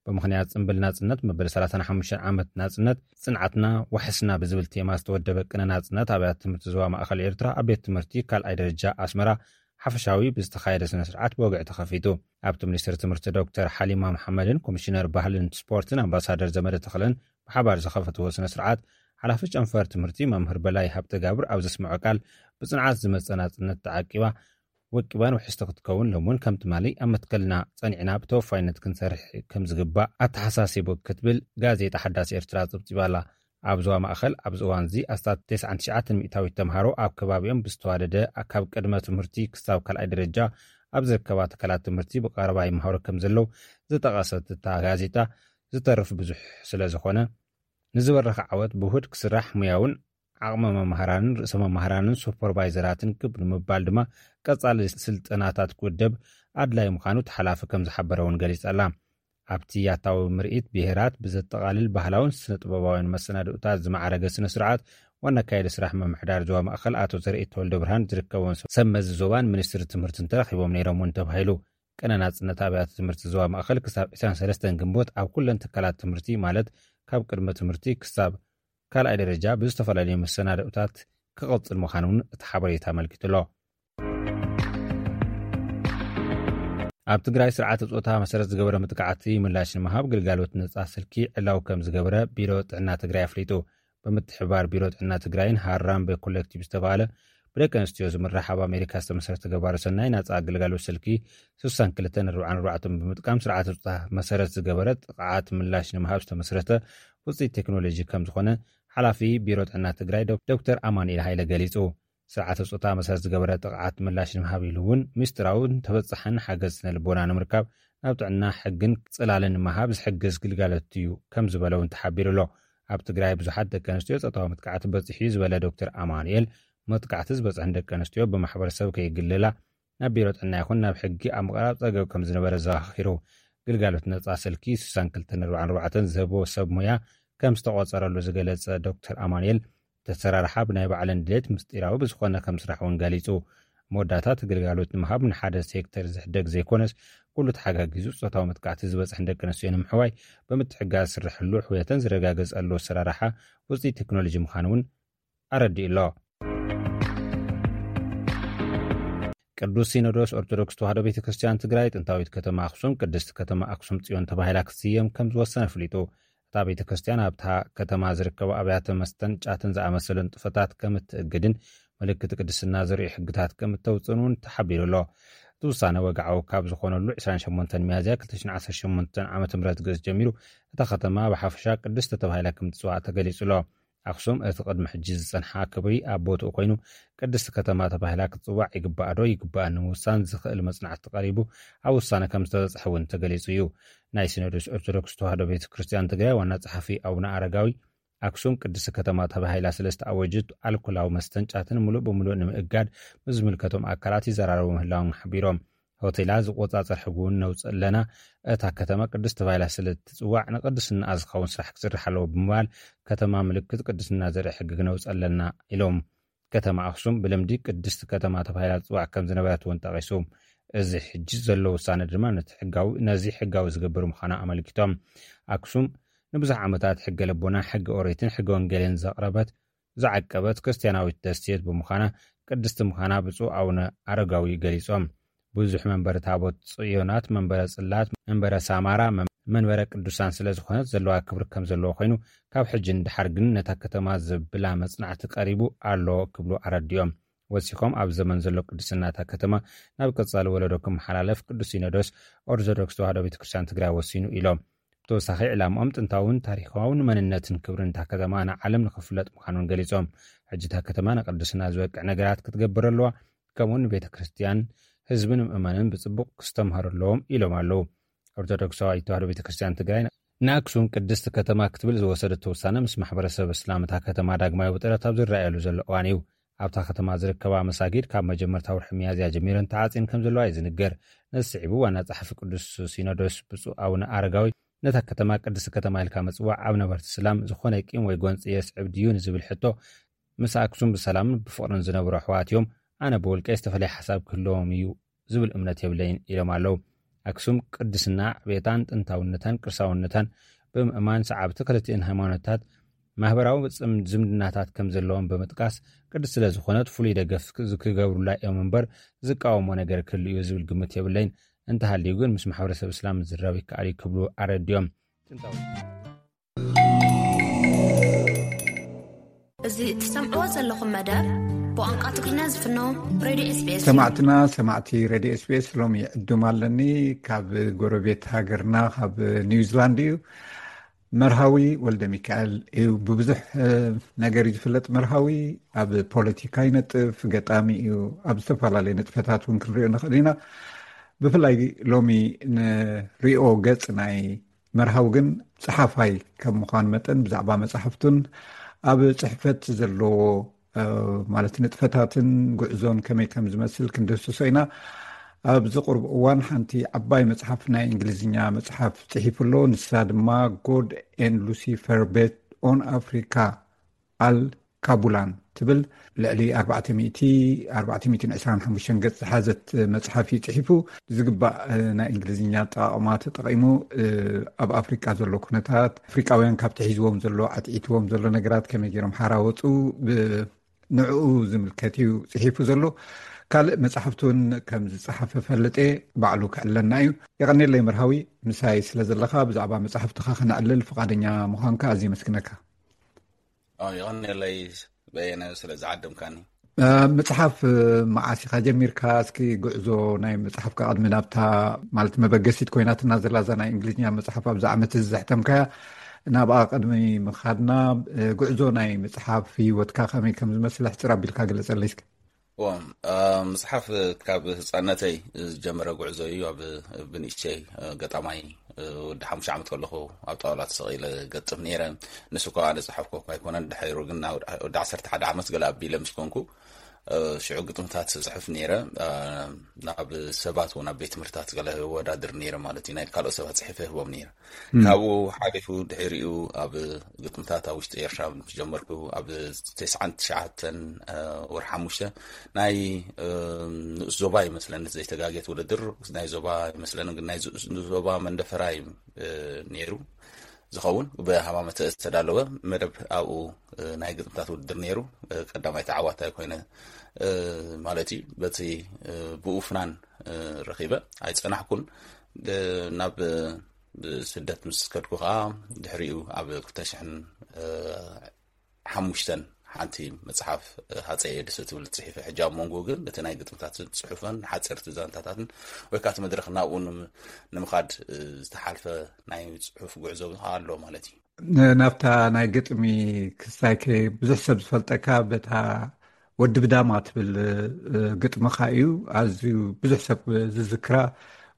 ብምኽንያት ጽምብል ናጽነት መበል ሰላሳን ሓሙሽተን ዓመት ናጽነት ጽንዓትና ዋሕስና ብዝብል ቴማ ዝተወደበ ቅነ ናጽነት ኣብያተ ትምህርቲ ዞባ ማእኸል ኤርትራ ኣብ ቤት ትምህርቲ ካልኣይ ደረጃ ኣስመራ ሓፈሻዊ ብዝተኻየደ ስነ ስርዓት ብወግዒ ተኸፊቱ። ኣብቲ ሚኒስትር ትምህርቲ ዶክተር ሓሊማ መሓመድን ኮሚሽነር ባህልን ስፖርትን ኣምባሳደር ዘመደ ተኽለን ብሓባር ዝኸፈትዎ ስነ ስርዓት ሓላፊ ጨንፈር ትምህርቲ መምህር በላይ ሃብተጋብር ኣብ ዘስምዖ ቃል ብጽንዓት ዝመጸ ናጽነት ተዓቂባ ወቂባን ውሕስቲ ክትከውን ሎምውን ከም ትማሊ ኣብ መትከልና ጸኒዕና ብተወፋይነት ክንሰርሕ ከም ዝግባእ ኣተሓሳሲቡ ክትብል ጋዜጣ ሓዳስ ኤርትራ ጽብጺባ ኣላ። ኣብ ዞባ ማእኸል ኣብዚ እዋን እዚ ኣስታት ተስዓን ትሽዓተን ሚእታዊት ተምሃሮ ኣብ ከባቢኦም ብዝተዋደደ ካብ ቅድመ ትምህርቲ ክሳብ ካልኣይ ደረጃ ኣብ ዝርከባ ትካላት ትምህርቲ ብቐረባ ይምሃሩ ከም ዘለዉ ዝጠቐሰት እታ ጋዜጣ ዝተርፍ ብዙሕ ስለ ዝኾነ ንዝበረኸ ዓወት ብውሁድ ክስራሕ ሙያውን ዓቕሚ መምህራንን ርእሰ መምህራንን ሱፐርቫይዘራትን ክብ ንምባል ድማ ቀጻሊ ስልጠናታት ክውደብ ኣድላይ ምዃኑ እቲ ሓላፊ ከም ዝሓበረ እውን ገሊጻ ኣላ። ኣብቲ ያታዊ ምርኢት ብሄራት ብዘጠቓልል ባህላውን ስነ ጥበባውያን መሰናድኡታት ዝማዕረገ ስነ ስርዓት ዋና ኣካያዲ ስራሕ ምምሕዳር ዞባ ማእኸል ኣቶ ዘርኢ ተወልደ ብርሃን ዝርከቦም ሰብ መዚ ዞባን ሚኒስትሪ ትምህርትን ተረኺቦም ነይሮም እውን ተባሂሉ። ቅነ ናጽነት ኣብያተ ትምህርቲ ዞባ ማእኸል ክሳብ ዕስራን ሰለስተን ግንቦት ኣብ ኩለን ትካላት ትምህርቲ ማለት ካብ ቅድመ ትምህርቲ ክሳብ ካልኣይ ደረጃ ብዝተፈላለዩ መሰናድኡታት ክቕጽል ምዃኑ እውን እቲ ሓበሬታ ኣመልኪቱ ኣሎ። ኣብ ትግራይ ስርዓተ ጾታ መሰረት ዝገበረ መጥቃዕቲ ምላሽ ንምሃብ ግልጋሎት ነጻ ስልኪ ዕላው ከም ዝገበረ ቢሮ ጥዕና ትግራይ ኣፍሊጡ። ብምትሕብባር ቢሮ ጥዕና ትግራይን ሃራምበ ኮሌክቲቭ ዝተባህለ ብደቂ ኣንስትዮ ዝምራሕ ኣብ ኣሜሪካ ዝተመስረተ ገባሪ ሰናይ ናጻ ግልጋሎት ስልኪ ስሳን ክልተን ኣርባዓን ኣርባዕተን ብምጥቃም ስርዓተ ጾታ መሰረት ዝገበረ ጥቕዓት ምላሽ ንምሃብ ዝተመስረተ ውፅኢት ቴክኖሎጂ ከም ዝኾነ ሓላፊ ቢሮ ጥዕና ትግራይ ዶክ- ዶክተር ኣማኑኤል ሃይለ ገሊጹ። ስርዓተ ጾታ መሰረት ዝገበረ ጥቕዓት ምላሽ ንምሃብ ኢሉ እውን ምስጢራውን ተበጻሕን ሓገዝ ስነ ልቦና ንምርካብ ናብ ጥዕና ሕግን ጽላልን ንምሃብ ዝሕግዝ ግልጋሎት እዩ ከም ዝበለ እውን ተሓቢሩ ኣሎ። ኣብ ትግራይ ብዙሓት ደቂ ኣንስትዮ ጾታዊ መጥቃዕቲ በፂሑ እዩ ዝበለ ዶክተር ኣማኑኤል፣ መጥቃዕቲ ዝበፅሐን ደቂ ኣንስትዮ ብማሕበረሰብ ከይግልላ ናብ ቢሮ ጥዕና ይኹን ናብ ሕጊ ኣብ ምቕራብ ጸገብ ከም ዝነበረ ዘኻኺሩ። ግልጋሎት ነጻ ስልኪ ስሳን ክልተን ኣርባዓን ኣርባዕተን ዝህቦ ሰብ ሞያ ከም ዝተቖጸረሉ ዝገለጸ ዶክተር ኣማኑኤል፣ እቲ ኣሰራርሓ ብናይ ባዕለን ድሌት ምስጢራዊ ብዝኾነ ከም ስራሕ እውን ገሊጹ። መወዳእታ እቲ ግልጋሎት ንምሃብ ንሓደ ሴክተር ዝሕደግ ዘይኮነስ ኩሉ ተሓጋጊዙ ጾታዊ መጥቃዕቲ ዝበፅሐን ደቂ ኣንስትዮ ንምሕዋይ ብምትሕግጋዝ ዝስርሐሉ ሕውየተን ዝረጋገጸሉ ኣሰራርሓ ውፅኢት ቴክኖሎጂ ምዃኑ እውን ኣረዲኡ ኣሎ። ቅዱስ ሲኖዶስ ኦርቶዶክስ ተዋህዶ ቤተ ክርስቲያን ትግራይ ጥንታዊት ከተማ ኣክሱም ቅድስቲ ከተማ ኣክሱም ጽዮን ተባሂላ ክትስየም ከም ዝወሰነ ኣፍሊጡ። እታ ቤተ ክርስቲያን ኣብታ ከተማ ዝርከቡ ኣብያተ መስተን ጫትን ዝኣመሰሉ ንጥፈታት ከም እትእግድን ምልክት ቅድስና ዘርእዩ ሕግታት ከም እተውፅእን እውን ተሓቢሩ ኣሎ። እቲ ውሳነ ወግዓዊ ካብ ዝኾነሉ ዕስራን ሸሞንተን ሚያዝያ ክልተ ሽሕን ዓሰርተ ሸሞንተን ዓመተ ምህረት ገጽ ጀሚሩ እታ ከተማ ብሓፈሻ ቅድስቲ ተባሂላ ከም ትፅዋዕ ተገሊጹ ኣሎ። ኣኽሱም እቲ ቅድሚ ሕጂ ዝጸንሓ ክብሪ ኣብ ቦትኡ ኮይኑ፣ ቅድስቲ ከተማ ተባሂላ ክትጽዋዕ ይግባእ ዶ ይግባእ ንምውሳን ዝኽእል መጽናዕቲ ቀሪቡ ኣብ ውሳነ ከም ዝተበጽሐ እውን ተገሊጹ እዩ። ናይ ሲኖዶስ ኦርቶዶክስ ተዋህዶ ቤተ ክርስቲያን ትግራይ ዋና ጸሓፊ ኣቡነ ኣረጋዊ፣ ኣክሱም ቅድስቲ ከተማ ተባሂላ ስለ ዝተኣወጀት ኣልኮላዊ መስተን ጫትን ምሉእ ብምሉእ ንምእጋድ ምስ ዝምልከቶም ኣካላት ይዘራረቡ ምህላዎም ሓቢሮም። ሆቴላት ዝቆጻጸር ሕጊ እውን ነውጽእ ኣለና። እታ ከተማ ቅድስቲ ተባሂላ ስለ እትጽዋዕ ንቅድስናኣ ዝኸውን ስራሕ ክስራሕ ኣለዎ ብምባል ከተማ ምልክት ቅድስና ዘርኢ ሕጊ ክነውጽእ ኣለና ኢሎም። ከተማ ኣክሱም ብልምዲ ቅድስቲ ከተማ ተባሂላ ትፅዋዕ ከም ዝነበረት እውን ጠቒሱ። እዚ ሕጂ ዘሎ ውሳነ ድማ ነቲ ሕጋዊ ነዚ ሕጋዊ ዝገብር ምዃኑ ኣመልኪቶም። ኣክሱም ንብዙሕ ዓመታት ሕገ ልቦና፣ ሕገ ኦሪትን ሕገ ወንጌልን ዘቕረበት ዝዓቀበት ክርስትያናዊት ደሴት ብምዃና ቅድስቲ ምዃና ብፁዕ ኣቡነ ኣረጋዊ ገሊጾም። ብዙሕ መንበረ ታቦት ጽዮናት፣ መንበረ ጽላት፣ መንበረ ሳማራ፣ መን- መንበረ ቅዱሳን ስለ ዝኾነት ዘለዋ ክብሪ ከም ዘለዎ ኮይኑ ካብ ሕጂ ንድሓር ግን ነታ ከተማ ዘብላ መጽናዕቲ ቀሪቡ ኣሎ ክብሉ ኣረዲኦም። ወሲኾም ኣብ ዘመን ዘሎ ቅድስና እታ ከተማ ናብ ቀጻሊ ወለዶ ክመሓላለፍ ቅዱስ ሲኖዶስ ኦርቶዶክስ ተዋህዶ ቤተክርስትያን ትግራይ ወሲኑ ኢሎም። ብተወሳኺ ዕላምኦም ጥንታውን ታሪኻውን መንነትን ክብርን እታ ከተማ ንዓለም ንኽፍለጥ ምዃኑን ገሊጾም። ሕጂ እታ ከተማ ንቅድስና ዝበቅዕ ነገራት ክትገብር ኣለዋ፣ ከምኡውን ንቤተ ክርስቲያን ህዝብን ምእመንን ብጽቡቕ ክስተምሃሩ ኣለዎም ኢሎም ኣለዉ። ኦርቶዶክሳዊት ተዋህዶ ቤተ ክርስቲያን ትግራይ ንኣክሱም ቅድስቲ ከተማ ክትብል ዝወሰደቶ ውሳነ ምስ ማሕበረሰብ እስላም እታ ከተማ ዳግማዊ ውጥረት ኣብ ዝረኣየሉ ዘሎ እዋን እዩ። ኣብታ ከተማ ዝርከባ መሳጊድ ካብ መጀመርታ ወርሒ ሚያዝያ ጀሚረን ተዓጽየን ከም ዘለዋ እዩ ዝንገር። ነዚ ስዒቡ ዋና ጸሓፊ ቅዱስ ሲኖዶስ ብፁዕ ኣቡነ ኣረጋዊ ነታ ከተማ ቅድስቲ ከተማ ኢልካ ምጽዋዕ ኣብ ነበርቲ እስላም ዝኾነ ቂም ወይ ጎንጺ የስዕብ ድዩ ንዝብል ሕቶ፣ ምስ ኣክሱም ብሰላምን ብፍቕርን ዝነብሩ ኣሕዋት እዮም፣ ኣነ ብውልቀይ ዝተፈላለየ ሓሳብ ክህልዎም እዩ ዝብል እምነት የብለይን ኢሎም ኣለዉ። ኣክሱም ቅድስና ዕቤታን ጥንታውነታን ቅርሳውነታን ብምእማን ሰዓብቲ ክልቲእን ሃይማኖታት ማህበራዊ ጽም- ዝምድናታት ከም ዘለዎም ብምጥቃስ፣ ቅድስቲ ስለ ዝኾነት ፍሉይ ደገፍ ክ- ክገብሩላ እዮም እምበር ዝቃወሞ ነገር ክህሉ እዩ ዝብል ግምት የብለይን። እንተሃልዩ ግን ምስ ማሕበረሰብ እስላም ዝራብ ይከኣል እዩ ክብሉ ኣረዲኦም። እዚ ትሰምዕዎ ዘለኹም መደብ ብቋንቋ ትግርኛ ዝፍኖ ሬድዮ ኤስቢኤስ እዩ። ሰማዕትና ሰማዕቲ ሬድዮ ኤስቢኤስ፣ ሎሚ ዕዱም ኣለኒ። ካብ ጎረቤት ሃገርና ካብ ኒውዚላንድ እዩ። መርሃዊ ወልደ ሚካኤል እዩ። ብብዙሕ ነገር እዩ ዝፍለጥ። መርሃዊ ኣብ ፖለቲካ ይነጥፍ፣ ገጣሚ እዩ። ኣብ ዝተፈላለዩ ንጥፈታት እውን ክንሪኦ ንኽእል ኢና። ብፍላይ ሎሚ ንሪኦ ገጽ ናይ መርሃዊ ግን ጸሓፋይ ከም ምዃኑ መጠን ብዛዕባ መጻሕፍቱን ኣብ ጽሕፈት ዘለዎ ማለት ንጥፈታትን ጉዕዞን ከመይ ከም ዝመስል ክንድህስሶ ኢና። ኣብዚ ቁርብ እዋን ሓንቲ ዓባይ መጽሓፍ ናይ እንግሊዝኛ መጽሓፍ ጽሒፉ ኣሎ። ንሳ ድማ God and Lucifer Bet on Africa፣ ኣል ካቡላን ትብል ልዕሊ ኣርባዕተ ሚእቲ፣ ኣርባዕተ ሚእትን ዕስራን ሓሙሽተን ገጽ ዝሓዘት መጽሓፍ እዩ ጽሒፉ። ዝግባእ ናይ እንግሊዝኛ ኣጠቓቕማ ተጠቒሙ ኣብ ኣፍሪቃ ዘሎ ኩነታት፣ ኣፍሪቃውያን ካብቲ ሒዝዎም ዘሎ ዓትዒትዎም ዘሎ ነገራት ከመይ ገይሮም ሓራ ወፁ፣ ንዕኡ ዝምልከት እዩ ጽሒፉ ዘሎ። ካልእ መጽሓፍቲ እውን ከም ዝጸሓፈ ፈልጥ እየ። ባዕሉ ክዕለና እዩ። የቐኔለይ መርሃዊ፣ ምሳይ ስለ ዘለኻ ብዛዕባ መጽሓፍትኻ ክነዕልል ፍቓደኛ ምዃንካ ኣዝየ መስግነካ። የቐኔለይ በየነ ስለ ዝዓደምካኒ። መጽሓፍ መዓስ ኢኻ ጀሚርካ? እስኪ ጉዕዞ ናይ መጽሓፍካ ቅድሚ ናብታ ማለት መበገሲት ኮይናትና ዘላ እዛ ናይ እንግሊዝኛ መጽሓፍ ኣብዚ ዓመት እዚ ዘሕተምካያ ናብኣ ቅድሚ ምኻድና ጉዕዞ ናይ መጽሓፍ ህይወትካ ከመይ ከም ዝመስል ሕጽር ኣቢልካ ግለጸለይ እስኪ። እዎ፣ መጽሓፍ ካብ ህጻነተይ ዝጀመረ ጉዕዞ እዩ። ኣብ ብንእሽተይ ገጣማይ ወዲ ሓሙሽተ ዓመት ከለኹ ኣብ ጣውላ ተሰቒለ ገጥም ነይረ። ንሱ ከኣ ዝጸሓፍኩ እኳ ኣይኮነን። ድሕሩ ግን ወዲ ዓሰርተ ሓደ ዓመት ገለ ኣቢለ ምስ ኮንኩ ሽዑ ግጥምታት ጽሕፍ ነይረ። ናብ ሰባት እውን ኣብ ቤት ትምህርታት ገለ ወዳድር ነይረ ማለት እዩ። ናይ ካልኦት ሰባት ጽሒፈ ህቦም ነይረ። ካብኡ ሓሊፉ ድሕሪኡ ኣብ ግጥምታት ኣብ ውሽጢ ኤርትራ ምስ ጀመርኩ ኣብ ተስዓን ትሽዓተን ወር ሓሙሽተ ናይ ንኡስ ዞባ ይመስለኒ ዘይተጋጌት ውድድር ናይ ዞባ ይመስለኒ ግን ናይ ዞባ መንደፈራ እዩ ነይሩ ዝኸውን ብሃማመተ ዝተዳለወ መደብ ኣብኡ ናይ ግጥምታት ውድድር ነይሩ። ቀዳማይ ተዓዋታይ ኮይነ ማለት እዩ። በቲ ብኡ ፍናን ረኺበ ኣይጸናሕኩን ናብ ስደት ምስ ከድኩ ከዓ ድሕሪኡ ኣብ ክልተ ሽሕን ሓሙሽተን ሓንቲ መጽሓፍ ሃፀይ ኤድስ እትብል ጽሒፈ ሕጂ ኣብ መንጎ ግን እቲ ናይ ግጥምታት ጽሑፈን ሓፀርቲ ዛንታታትን ወይ ከዓ እቲ መድረክ ናብኡ ንምኻድ ዝተሓልፈ ናይ ጽሑፍ ጉዕዞ ኣሎ ማለት እዩ። ናብታ ናይ ግጥሚ ክሳይከ ብዙሕ ሰብ ዝፈልጠካ በታ ወዲ ብዳማ ትብል ግጥምኻ እዩ። ኣዝዩ ብዙሕ ሰብ ዝዝክራ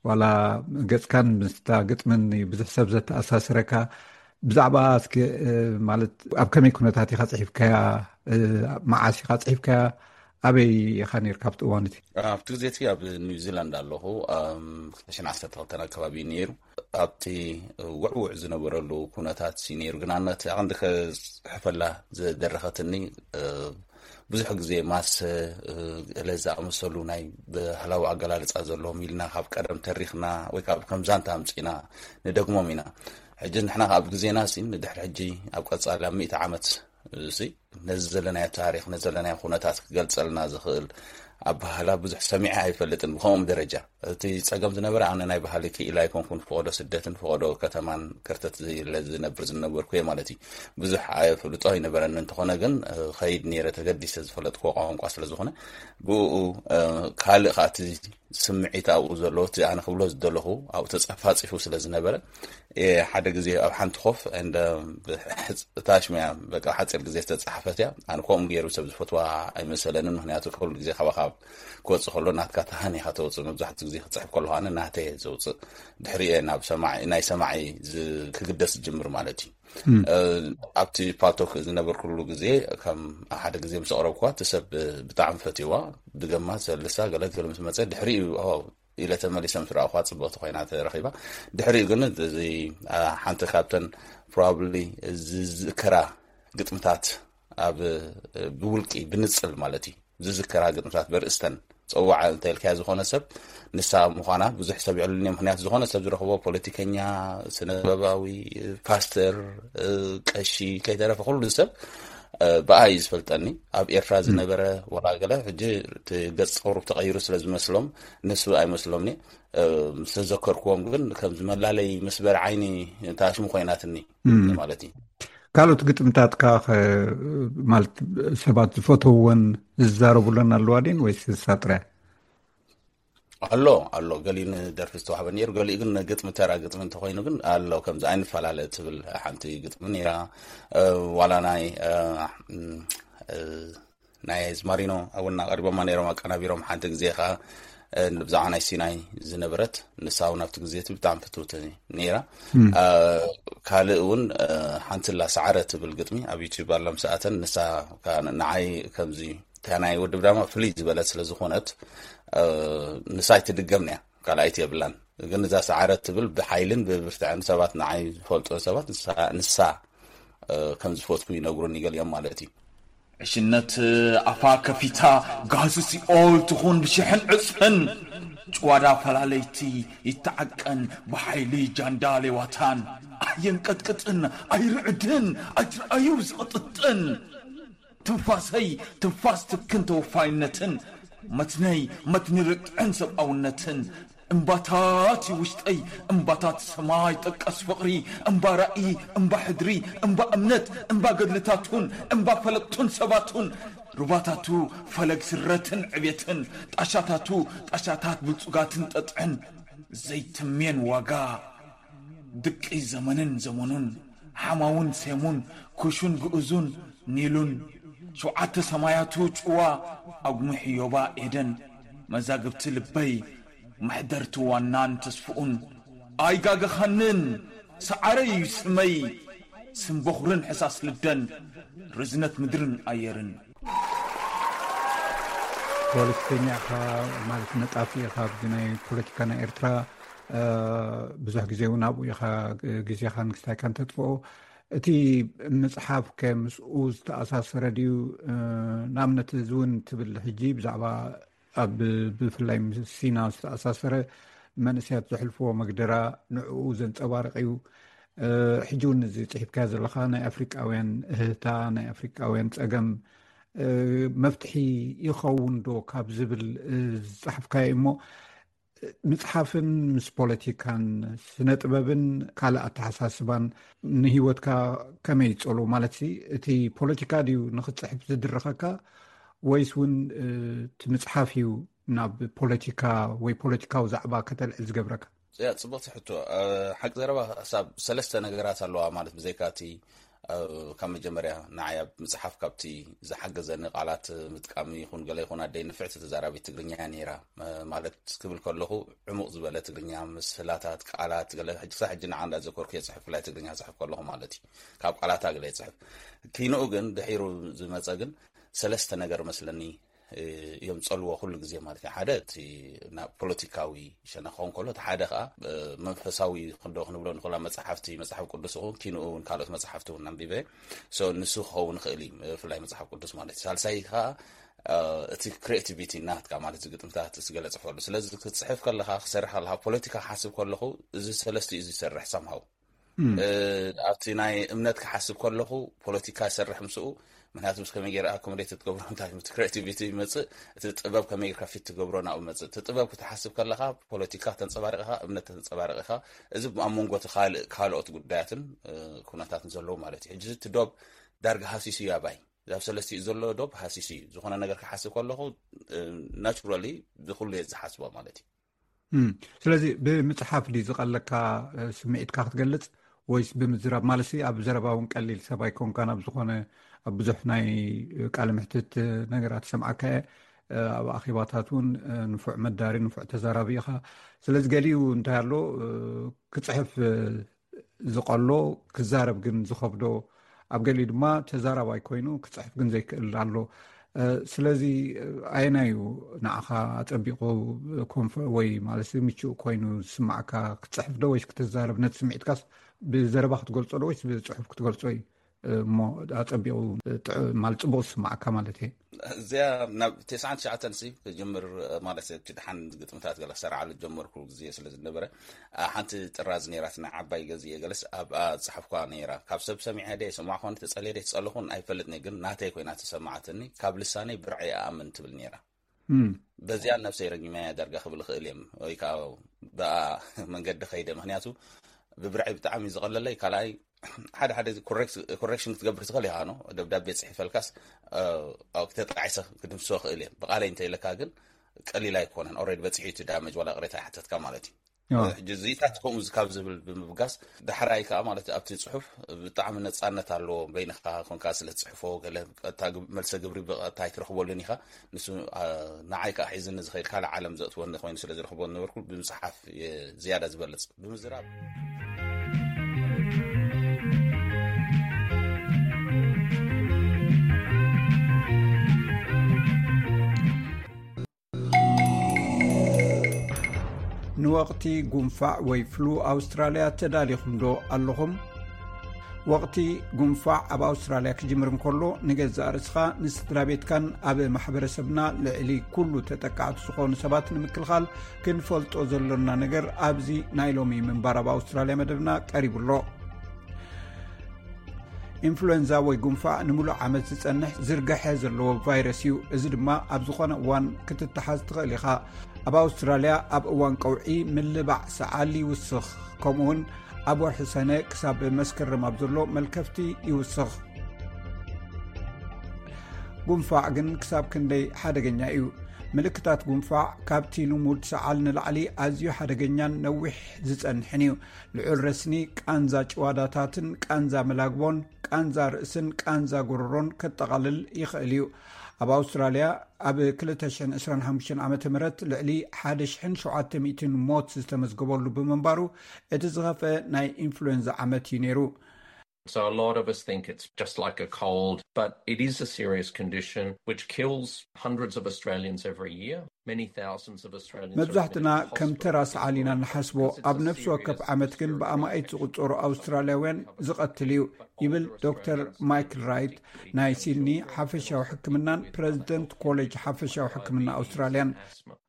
ዋላ ገጽካን ምስታ ግጥምን ብዙሕ ሰብ ዘተኣሳስረካ። ብዛዕባ እስኪ ማለት ኣብ ከመይ ኩነታት ኢኻ ጽሒፍካያ? መዓስ ኢኻ ጽሒፍካያ? ኣበይ ኢኻ ነርካ ኣብቲ እዋን እቲ? ኣብቲ ግዜ እቲ ኣብ ኒውዚላንድ ኣለኹ። ክልተ ሽሕን ዓሰርተ ክልተን ኣከባቢ ነይሩ። ኣብቲ ውዕውዕ ዝነበረሉ ኩነታት ነይሩ። ግን ኣነ እቲ ኣቐንዲ ከፅሕፈላ ዝደረኸትኒ ብዙሕ ግዜ ማሰ፣ እ፣ ገለ ዝኣመሰሉ ናይ ባህላዊ ኣገላልጻ ዘለዎም ኢልና ካብ ቀደም ተሪኽና ወይ ካብ ከም ዛንታ ኣምጺእና ንደግሞም ኢና። ሕጂ ንሕና ኣብ ግዜና ሲ ንድሕሪ ሕጂ ኣብ ቀጻሊ ኣብ ሚእቲ ዓመት ሲ ነዚ ዘለናዮ ታሪኽ፣ ነዚ ዘለናዮ ኩነታት ክገልጸልና ዝኽእል ኣበሃህላ ብዙሕ ሰሚዐ ኣይፈልጥን ብኸምኦም ደረጃ። እቲ ጸገም ዝነበረ ኣነ ናይ ባህሊ ክኢላ ኣይኮንኩን፣ ፈቐዶ ስደትን ፈቐዶ ከተማን ከርተት ኢለ ዝነብር ዝነበርኩ እየ ማለት እዩ። ብዙሕ ኣፍልጦ ኣይነበረኒ፣ እንተኾነ ግን፣ እ፣ ኸይድ ነይረ ተገዲሰ ዝፈለጥኩዎ ቋንቋ ስለ ዝኾነ ብኡ፣ እ፣ ካልእ ከኣ እቲ ስምዒት ኣብኡ ዘሎ እቲ ኣነ ክብሎ ዝደለኹ ኣብኡ ተጻፋጺፉ ስለ ዝነበረ፣ እ፣ ሓደ ግዜ ኣብ ሓንቲ ኮፍ and፣ እ፣ ታሽም እያ በቃ ሓጺር ግዜ ዝተጻሓፈት እያ። ኣነ ከምኡ ገይሩ ሰብ ዝፈትዋ ኣይመሰለንን፣ ምኽንያቱ ኩሉ ግዜ ካባኻ ክወጽእ ከሎ ናትካ ተሃን ኢኻ ተውጽእ፣ መብዛሕትኡ ግዜ ክጽሕፍ ከለኹ ኣነ ናተይ እየ ዘውጽእ፣ ድሕሪኡ እየ ናብ ሰማዒ፣ ናይ ሰማዒ ዝ-፣ ክግደስ ዝጅምር ማለት እዩ። እ፣ ኣብቲ ፓልቶክ ዝነበርኩሉ ግዜ ከም ሓደ ግዜ ምስ ኣቕረብኩዋ እቲ ሰብ ብጣዕሚ ፈትዋ፣ ብገማ ሰልሳ ገለ ገለ ምስ መጸ ድሕሪኡ ኦ ኢለ ተመሊሰ ምስ ረኣኹዋ ጽብቕቲ ኮይና ተረኺባ። ድሕሪኡ ግን እዚ፣ ኣ፣ ሓንቲ ካብተን ፕሮባብሊ ዝዝከራ ግጥምታት ኣብ ብውልቂ ብንጽል ማለት እዩ ዝዝከራ ግጥምታት በርእስተን ጸዋዕ እንተ ኢልካዮ ዝኾነ ሰብ ንሳ ምዃና ብዙሕ ሰብ የዕልልኒ። ምኽንያቱ ዝኾነ ሰብ ዝረኽቦ ፖለቲከኛ፣ ስነ ጥበባዊ፣ ፓስተር፣ እ፣ ቀሺ ከይተረፈ ኩሉ ሰብ፣ እ፣ ብኣ እዩ ዝፈልጠኒ። ኣብ ኤርትራ ዝነበረ ዋላ ገለ ሕጂ እቲ ገጽ ጸጉሩ ተቐይሩ ስለ ዝመስሎም ንሱ ኣይመስሎምኒ። እ፣ ምስ ተዘከርክዎም ግን ከምዚ መላለይ መስበር ዓይኒ ታሽሙ ኮይናትኒ ማለት እዩ። ካልኦት ግጥምታትካ ኸ ማለት ሰባት ዝፈተውወን ዝዛረቡለን ኣለዋ ድን ወይስ ንሳ ጥራይ? ኣሎ፣ ኣሎ። ገሊኡ ንደርፊ ዝተዋህበ ነይሩ፣ ገሊኡ ግን ግጥሚ፣ ተራ ግጥሚ እንተኾይኑ ግን ኣሎ። ከምዚ ኣይንፈላለ እትብል ሓንቲ ግጥሚ ነይራ። እ፣ ዋላ ናይ፣ እ፣ እ፣ ናይ ዝማሪኖ እውን ኣቐሪቦማ ነይሮም፣ ኣቀናቢሮም። ሓንቲ ግዜ ኸዓ፣ እ፣ ብዛዕባ ናይ ሲናይ ዝነበረት፣ ንሳ እውን ኣብቲ ግዜ እቲ ብጣዕሚ ፍትውቲ ነይራ። እ፣ ካልእ እውን፣ እ፣ ሓንቲ ላ ሰዓረ ትብል ግጥሚ ኣብ ዩቲዩብ ኣላ፣ ምስ ኣተን ንሳ ከኣ ንዓይ ከምዚ እታ ናይ ወዲ ብዳማ ፍልይ ዝበለት ስለ ዝኾነት፣ እ፣ ንሳ ኣይትድገምን እያ፣ ካልኣይቲ የብላን። ግን እዛ ሰዓረት ትብል ብሓይልን ብብርትዐን ሰባት ንዓይ ዝፈልጦ ሰባት ንሳ፣ ንሳ፣ እ፣ ከም ዝፈትኩ ይነግሩኒ ገሊኦም ማለት እዩ። ዕሽነት ኣፋ ከፊታ ጋህሲ ሲኦል ትኹን ብሽሕን ዕጽፍን፣ ጭዋዳ ፈላለይቲ ይተዓቀን ብሓይሊ ጃንዳ ሌዋታን፣ ኣየንቀጥቅጥን ኣይርዕድን ኣይትርኣዩ ዝቕጥጥን። ትንፋሰይ ትንፋስ ትክን ተወፋይነትን፣ መትነይ መትኒ ርትዕን ሰብኣውነትን፣ እምባታት ውሽጠይ እምባታት ሰማይ ጠቀስ ፍቕሪ፣ እምባ ራእይ፣ እምባ ሕድሪ፣ እምባ እምነት፣ እምባ ገድልታቱን እምባ ፈለጥቱን ሰባቱን፣ ሩባታቱ ፈለግ ስረትን ዕብየትን፣ ጣሻታቱ ጣሻታት ብልጹጋትን ጠጥዕን፣ ዘይትምየን ዋጋ ድቂ ዘመንን ዘመኑን፣ ሓማውን ሴሙን፣ ኩሹን ግእዙን፣ ኒሉን፣ ሸውዓተ ሰማያቱ ጭዋ፣ ኣጉምሕ ዮባ ኤደን፣ መዛግብቲ ልበይ፣ መሕደርቲ ዋናን ተስፍኡን፣ ኣይጋገኻንን፣ ሰዓረይ እዩ ስመይ፣ ስም በኹርን ሕሳስ ልደን፣ ርዝነት ምድርን ኣየርን። ፖለቲከኛ ኢኻ ማለት ነጣፊ ኢኻ፣ ኣብዚ ናይ ፖለቲካ ናይ ኤርትራ፣ እ፣ ብዙሕ ግዜ እውን ኣብኡ ኢኻ ግዜኻን ክስታይካን ተጥፍኦ። እቲ ምጽሓፍ ከ ምስኡ ዝተኣሳሰረ ድዩ? እ፣ ንኣብነት እዚ እውን ትብል ሕጂ ብዛዕባ ኣብ ብፍላይ ምስ ሲና ዝተኣሳሰረ መንእሰያት ዘሕልፍዎ መግደራ ንዕኡ ዘንጸባርቕ እዩ። እ፣ ሕጂ እውን እዚ ጽሒፍካዮ ዘለኻ ናይ ኣፍሪቃውያን እህህታ፣ ናይ ኣፍሪቃውያን ጸገም፣ እ፣ መፍትሒ ይኸውን ዶ ካብ ዝብል፣ እ፣ ዝጸሓፍካዮ እሞ፣ ምጽሓፍን ምስ ፖለቲካን ስነ ጥበብን ካልእ ኣተሓሳስባን ንህይወትካ ከመይ ይጸሉ? ማለትሲ እቲ ፖለቲካ ድዩ ንኽትጽሕፍ ዝድርኸካ ወይስ እውን፣ እ፣ እቲ ምጽሓፍ እዩ ናብ ፖለቲካ ወይ ፖለቲካዊ ዛዕባ ከተልዕል ዝገብረካ? ያ፣ ጽቡቕቲ ሕቶ። እ፣ ሓቂ ዘረባ ክሳብ ሰለስተ ነገራት ኣለዋ ማለት ብዘይካ እቲ፣ እ፣ ካብ መጀመርያ ንዓይ ኣብ ምጽሓፍ ካብቲ ዝሓገዘኒ ቃላት ምጥቃም ይኹን ገለ ይኹን ኣደይ ንፍዕቲ ተዛራቢት ትግርኛ እያ ነይራ። እ፣ ማለት ክብል ከለኹ ዕሙቕ ዝበለ ትግርኛ ምስላታት፣ ቃላት፣ ገለ ሕጂ ክሳብ ሕጂ ንዓ እንዳዘከርኩ እየ ጽሕፍ፣ ብፍላይ ትግርኛ ጽሕፍ ከለኹ ማለት እዩ። ካብ ቃላታ ገለ ይጽሕፍ። ኪንኡ ግን ድሒሩ ዝመጸ ግን ሰለስተ ነገር መስለኒ እዮም ዝጸልዎ ኩሉ ግዜ ማለት እዩ። ሓደ እቲ ናብ ፖለቲካዊ ሸነኽ ክኸውን ከሎ፣ እቲ ሓደ ከኣ መንፈሳዊ ክንዶ ክንብሎ ንኽእላ መጽሓፍቲ፣ መጽሓፍ ቅዱስ እውን ኪንኡ እውን ካልኦት መጽሓፍቲ እውን ኣንቢበ ንሱ ክኸውን ይኽእል እዩ፣ ብፍላይ መጽሓፍ ቅዱስ ማለት እዩ። ሳልሳይ ከኣ እቲ ክሪኤቲቪቲ ናትካ ማለት ግጥምታት ዝገለጽፈሉ። ስለዚ ክትጽሕፍ ከለኻ፣ ክሰርሕ ከለኻ፣ ፖለቲካ ክሓስብ ከለኹ እዚ ሰለስቲኡ እዚ ይሰርሕ ሳምሃው ኣብቲ ናይ እምነት ክሓስብ ከለኹ ፖለቲካ ይሰርሕ ምስኡ። ምክንያቱ ምስ ከመይ ገይረ ኣኮሞዴት ትገብሮ እንታይ እቲ ክሬቲቪቲ ይመፅእ፣ እቲ ጥበብ ከመይ ጌርካ ፊት ትገብሮ ናብኡ መፅእ። እቲ ጥበብ ክትሓስብ ከለኻ ፖለቲካ ተንፀባርቕ ኢኻ፣ እምነት ተንፀባርቕ ኢኻ። እዚ ኣብ መንጎ እቲ ካልእ ካልኦት ጉዳያትን ኩነታትን ዘለዉ ማለት እዩ። ሕጂ እቲ ዶብ ዳርጋ ሃሲሱ እዩ ኣባይ። ኣብ ሰለስቲኡ ዘሎ ዶብ ሃሲሱ እዩ። ዝኾነ ነገር ክሓስብ ከለኹ ናቹራሊ ብኩሉ እየ ዝሓስቦ ማለት እዩ። ስለዚ ብምፅሓፍ ድዩ ዝቐለካ ስምዒትካ ክትገልፅ ወይስ ብምዝራብ? ማለት ኣብ ዘረባ እውን ቀሊል ሰብ ኣይኮንካን። ኣብ ዝኾነ ኣብ ብዙሕ ናይ ቃለ ምሕትት ነገራት ሰምዓካ እየ። ኣብ ኣኼባታት እውን ንፉዕ መዳሪ፣ ንፉዕ ተዛራቢ ኢኻ። ስለዚ ገሊኡ እንታይ ኣሎ ክፅሕፍ ዝቐሎ ክዛረብ ግን ዝኸብዶ፣ ኣብ ገሊኡ ድማ ተዛራባይ ኮይኑ ክፅሕፍ ግን ዘይክእል ኣሎ። ስለዚ ኣየናይ እዩ ንዓኻ ኣፀቢቑ ኮንፈ ወይ ማለት ምቹእ ኮይኑ ዝስማዕካ? ክትፅሕፍ ዶ ወይስ ክትዛረብ? ነቲ ስምዒትካስ ብዘረባ ክትገልፆ ዶ ወይስ ብፅሑፍ ክትገልፆ እዩ እሞ ኣፀቢቑ ማለት ፅቡቕ ዝስማዕካ ማለት እየ? እዚኣ ናብ ተስዓን ትሽዓተን ሲ ክጅምር ማለት እቲ ደሓን ግጥምታት ገለ ክሰርዓሉ ጀመርኩ ግዜ ስለ ዝነበረ፣ ሓንቲ ጥራዝ ነይራትና ዓባይ ገዚኤ ገለስ ኣብኣ ዝፀሓፍኳ ነይራ። ካብ ሰብ ሰሚዐ ደ ሰማዕኹን ተፀልየ ደ ትፀልኹን ኣይፈልጥኒ፣ ግን ናተይ ኮይና ተሰማዓትኒ። ካብ ልሳነይ ብርዐይ ኣኣምን ትብል ነይራ። በዚኣ ነብሰይ ረጊመያ ዳርጋ ክብል እኽእል እየ፣ ወይ ከዓ ብኣ መንገዲ ከይደ። ምክንያቱ ብብርዐይ ብጣዕሚ ዝቐለለይ ካልኣይ ሓደ ሓደ ኮሬክሽን ክትገብር ትኽእል ኢኻ። ኖ ደብዳቤ ፅሒፈልካስ ኣብ ክተጣዒሰ ክድምስሶ ክእል እየ። ብቃለይ እንተይለካ ግን ቀሊል ኣይኮነን። ኦልሬዲ በፂሑ እቲ ዳመጅ ዋላ ቅሬታ ይሓተትካ ማለት እዩ። ሕጂ እዚታት ከምኡ ካብ ዝብል ብምብጋስ ዳሕራይ ከዓ ማለት ኣብቲ ፅሑፍ ብጣዕሚ ነፃነት ኣለዎ። በይንኻ ኮንካ ስለ ትፅሕፎ ገለ ቀጥታ መልሰ ግብሪ ብቐጥታ ኣይትረኽበሉን ኢኻ። ንሱ ንዓይ ከዓ ሒዝኒ ዝኸይድ ካልእ ዓለም ዘእትወኒ ኮይኑ ስለ ዝረኽቦ ነበርኩ ብምፅሓፍ ዝያዳ ዝበልፅ ብምዝራብ። ንወቕቲ ጉንፋዕ ወይ ፍሉ ኣውስትራልያ ተዳሊኹም ዶ ኣለኹም? ወቕቲ ጉንፋዕ ኣብ ኣውስትራልያ ክጅምር እንከሎ ንገዛእ ርእስኻ ንስድራ ቤትካን ኣብ ማሕበረሰብና ልዕሊ ኩሉ ተጠቃዕቲ ዝኾኑ ሰባት ንምክልኻል ክንፈልጦ ዘሎና ነገር ኣብዚ ናይ ሎሚ ምንባር ኣብ ኣውስትራልያ መደብና ቀሪቡ ኣሎ። ኢንፍሉዌንዛ ወይ ጉንፋዕ ንምሉእ ዓመት ዝጸንሕ ዝርግሐ ዘለዎ ቫይረስ እዩ። እዚ ድማ ኣብ ዝኾነ እዋን ክትተሓዝ ትኽእል ኢኻ። ኣብ ኣውስትራልያ ኣብ እዋን ቀውዒ ምልባዕ ሰዓል ይውስኽ፣ ከምኡውን ኣብ ወርሒ ሰነ ክሳብ መስከረም ኣብ ዘሎ መልከፍቲ ይውስኽ። ጉንፋዕ ግን ክሳብ ክንደይ ሓደገኛ እዩ? ምልክታት ጉንፋዕ ካብቲ ልሙድ ሰዓል ንላዕሊ ኣዝዩ ሓደገኛን ነዊሕ ዝጸንሕን እዩ። ልዑል ረስኒ፣ ቃንዛ ጭዋዳታትን ቃንዛ መላግቦን ቃንዛ ርእስን ቃንዛ ጎረሮን ከጠቓልል ይኽእል እዩ። ኣብ ኣውስትራልያ ኣብ ክልተ ሽሕን ዕስራን ሓሙሽተን ዓመተ ምህረት ልዕሊ ሓደ ሽሕን ሸውዓተ ሚእትን ሞት ዝተመዝገበሉ ብምንባሩ እቲ ዝኸፍአ ናይ ኢንፍሉዌንዛ ዓመት እዩ ነይሩ። So a lot of us think it's just like a cold, but it is a serious condition which kills hundreds of Australians every year. Many thousands of Australians are መብዛሕትና admitted to ከም ተራ hospital ሰዓል ኢና ንሓስቦ። ኣብ ነፍሲ ወከፍ ዓመት ግን ብኣማኢት ዝቑጸሩ ኣውስትራልያውያን ዝቐትል እዩ ይብል ዶክተር ማይክል ራይት፣ ናይ ሲድኒ ሓፈሻዊ ሕክምናን ፕረዚደንት ኮሌጅ ሓፈሻዊ ሕክምና ኣውስትራልያን።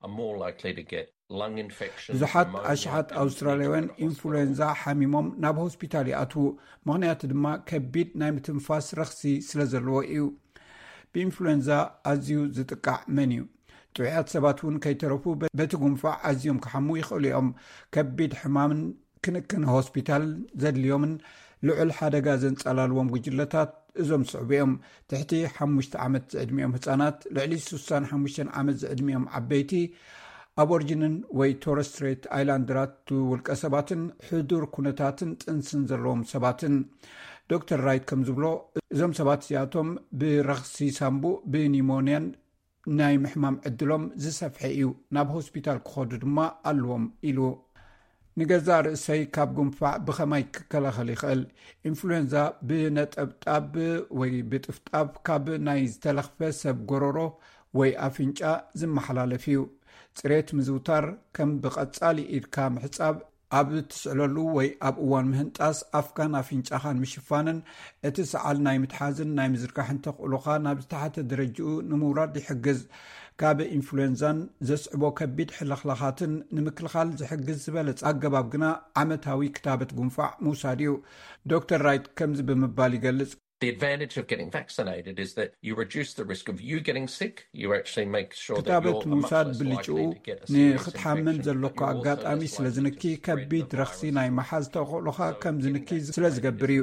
Are more likely to get lung infections, ብዙሓት pneumonia, ኣሽሓት and ኣውስትራልያውያን mental hospital ኢንፍሉዌንዛ ሓሚሞም ናብ ሆስፒታል ይኣትዉ። ምኽንያቱ ድማ ከቢድ ናይ ምትንፋስ ረኽሲ ስለ ዘለዎ እዩ። ብኢንፍሉዌንዛ ኣዝዩ ዝጥቃዕ መን እዩ? ጥዑያት ሰባት እውን ከይተረፉ በ-፣ በቲ ጉንፋዕ ኣዝዮም ክሓሙ ይኽእሉ እዮም። ከቢድ ሕማምን ክንክን ሆስፒታል ዘድልዮምን ልዑል ሓደጋ ዘንጸላልዎም ጉጅለታት እዞም ዝስዕቡ እዮም። ትሕቲ ሓሙሽተ ዓመት ዝዕድሚኦም ህጻናት፣ ልዕሊ ስሳን ሓሙሽተን ዓመት ዝዕድሚኦም ዓበይቲ፣ ኣቦርጅንን ወይ ቶረስ ስትሬት ኣይላንደራት ውልቀ ሰባትን ሕዱር ኩነታትን ጥንስን ዘለዎም ሰባትን። ዶክተር ራይት ከም ዝብሎ፣ እዞም ሰባት እዚኣቶም ብረኽሲ ሳምቡእ፣ ብኒሞንያን ናይ ምሕማም ዕድሎም ዝሰፍሐ እዩ፣ ናብ ሆስፒታል ክኸዱ ድማ ኣለዎም ኢሉ። ንገዛእ ርእሰይ ካብ ጉንፋዕ ብኸማይ ክከላኸል ይኽእል? ኢንፍሉዌንዛ ብነጠብጣብ ወይ ብጥፍጣፍ ካብ ናይ ዝተለኽፈ ሰብ ጎረሮ ወይ ኣፍንጫ ዝመሓላለፍ እዩ። ጽሬት ምዝውታር ከም ብቐጻሊ ኢድካ ምሕጻብ፣ ኣብ እትስዕለሉ ወይ ኣብ እዋን ምህንጣስ ኣፍካን ኣፍንጫኻን ምሽፋንን፣ እቲ ሰዓል ናይ ምትሓዝን ናይ ምዝርጋሕን ተኽእሎኻ ናብ ዝተሓተ ደረጃኡ ንምውራድ ይሕግዝ። ካብ ኢንፍሉዌንዛን ዘስዕቦ ከቢድ ሕልኽላኻትን ንምክልኻል ዝሕግዝ ዝበለጸ ኣገባብ ግና ዓመታዊ ክታበት ጉንፋዕ ምውሳድ እዩ። ዶክተር ራይት ከምዚ ብምባል ይገልጽ። The advantage of getting vaccinated is that you reduce the risk of you getting sick. You actually make sure that ክታበት you're much ምውሳድ less ብልጭኡ likely to get a serious ንክትሓመም infection, ዘለካ but you also ኣጋጣሚ less ስለ likely ዝንኪ፣ to spread ከቢድ the ረኽሲ virus ናይ መሓዝ ተኽእሎኻ ከም ዝንኪ ስለ ዝገብር እዩ።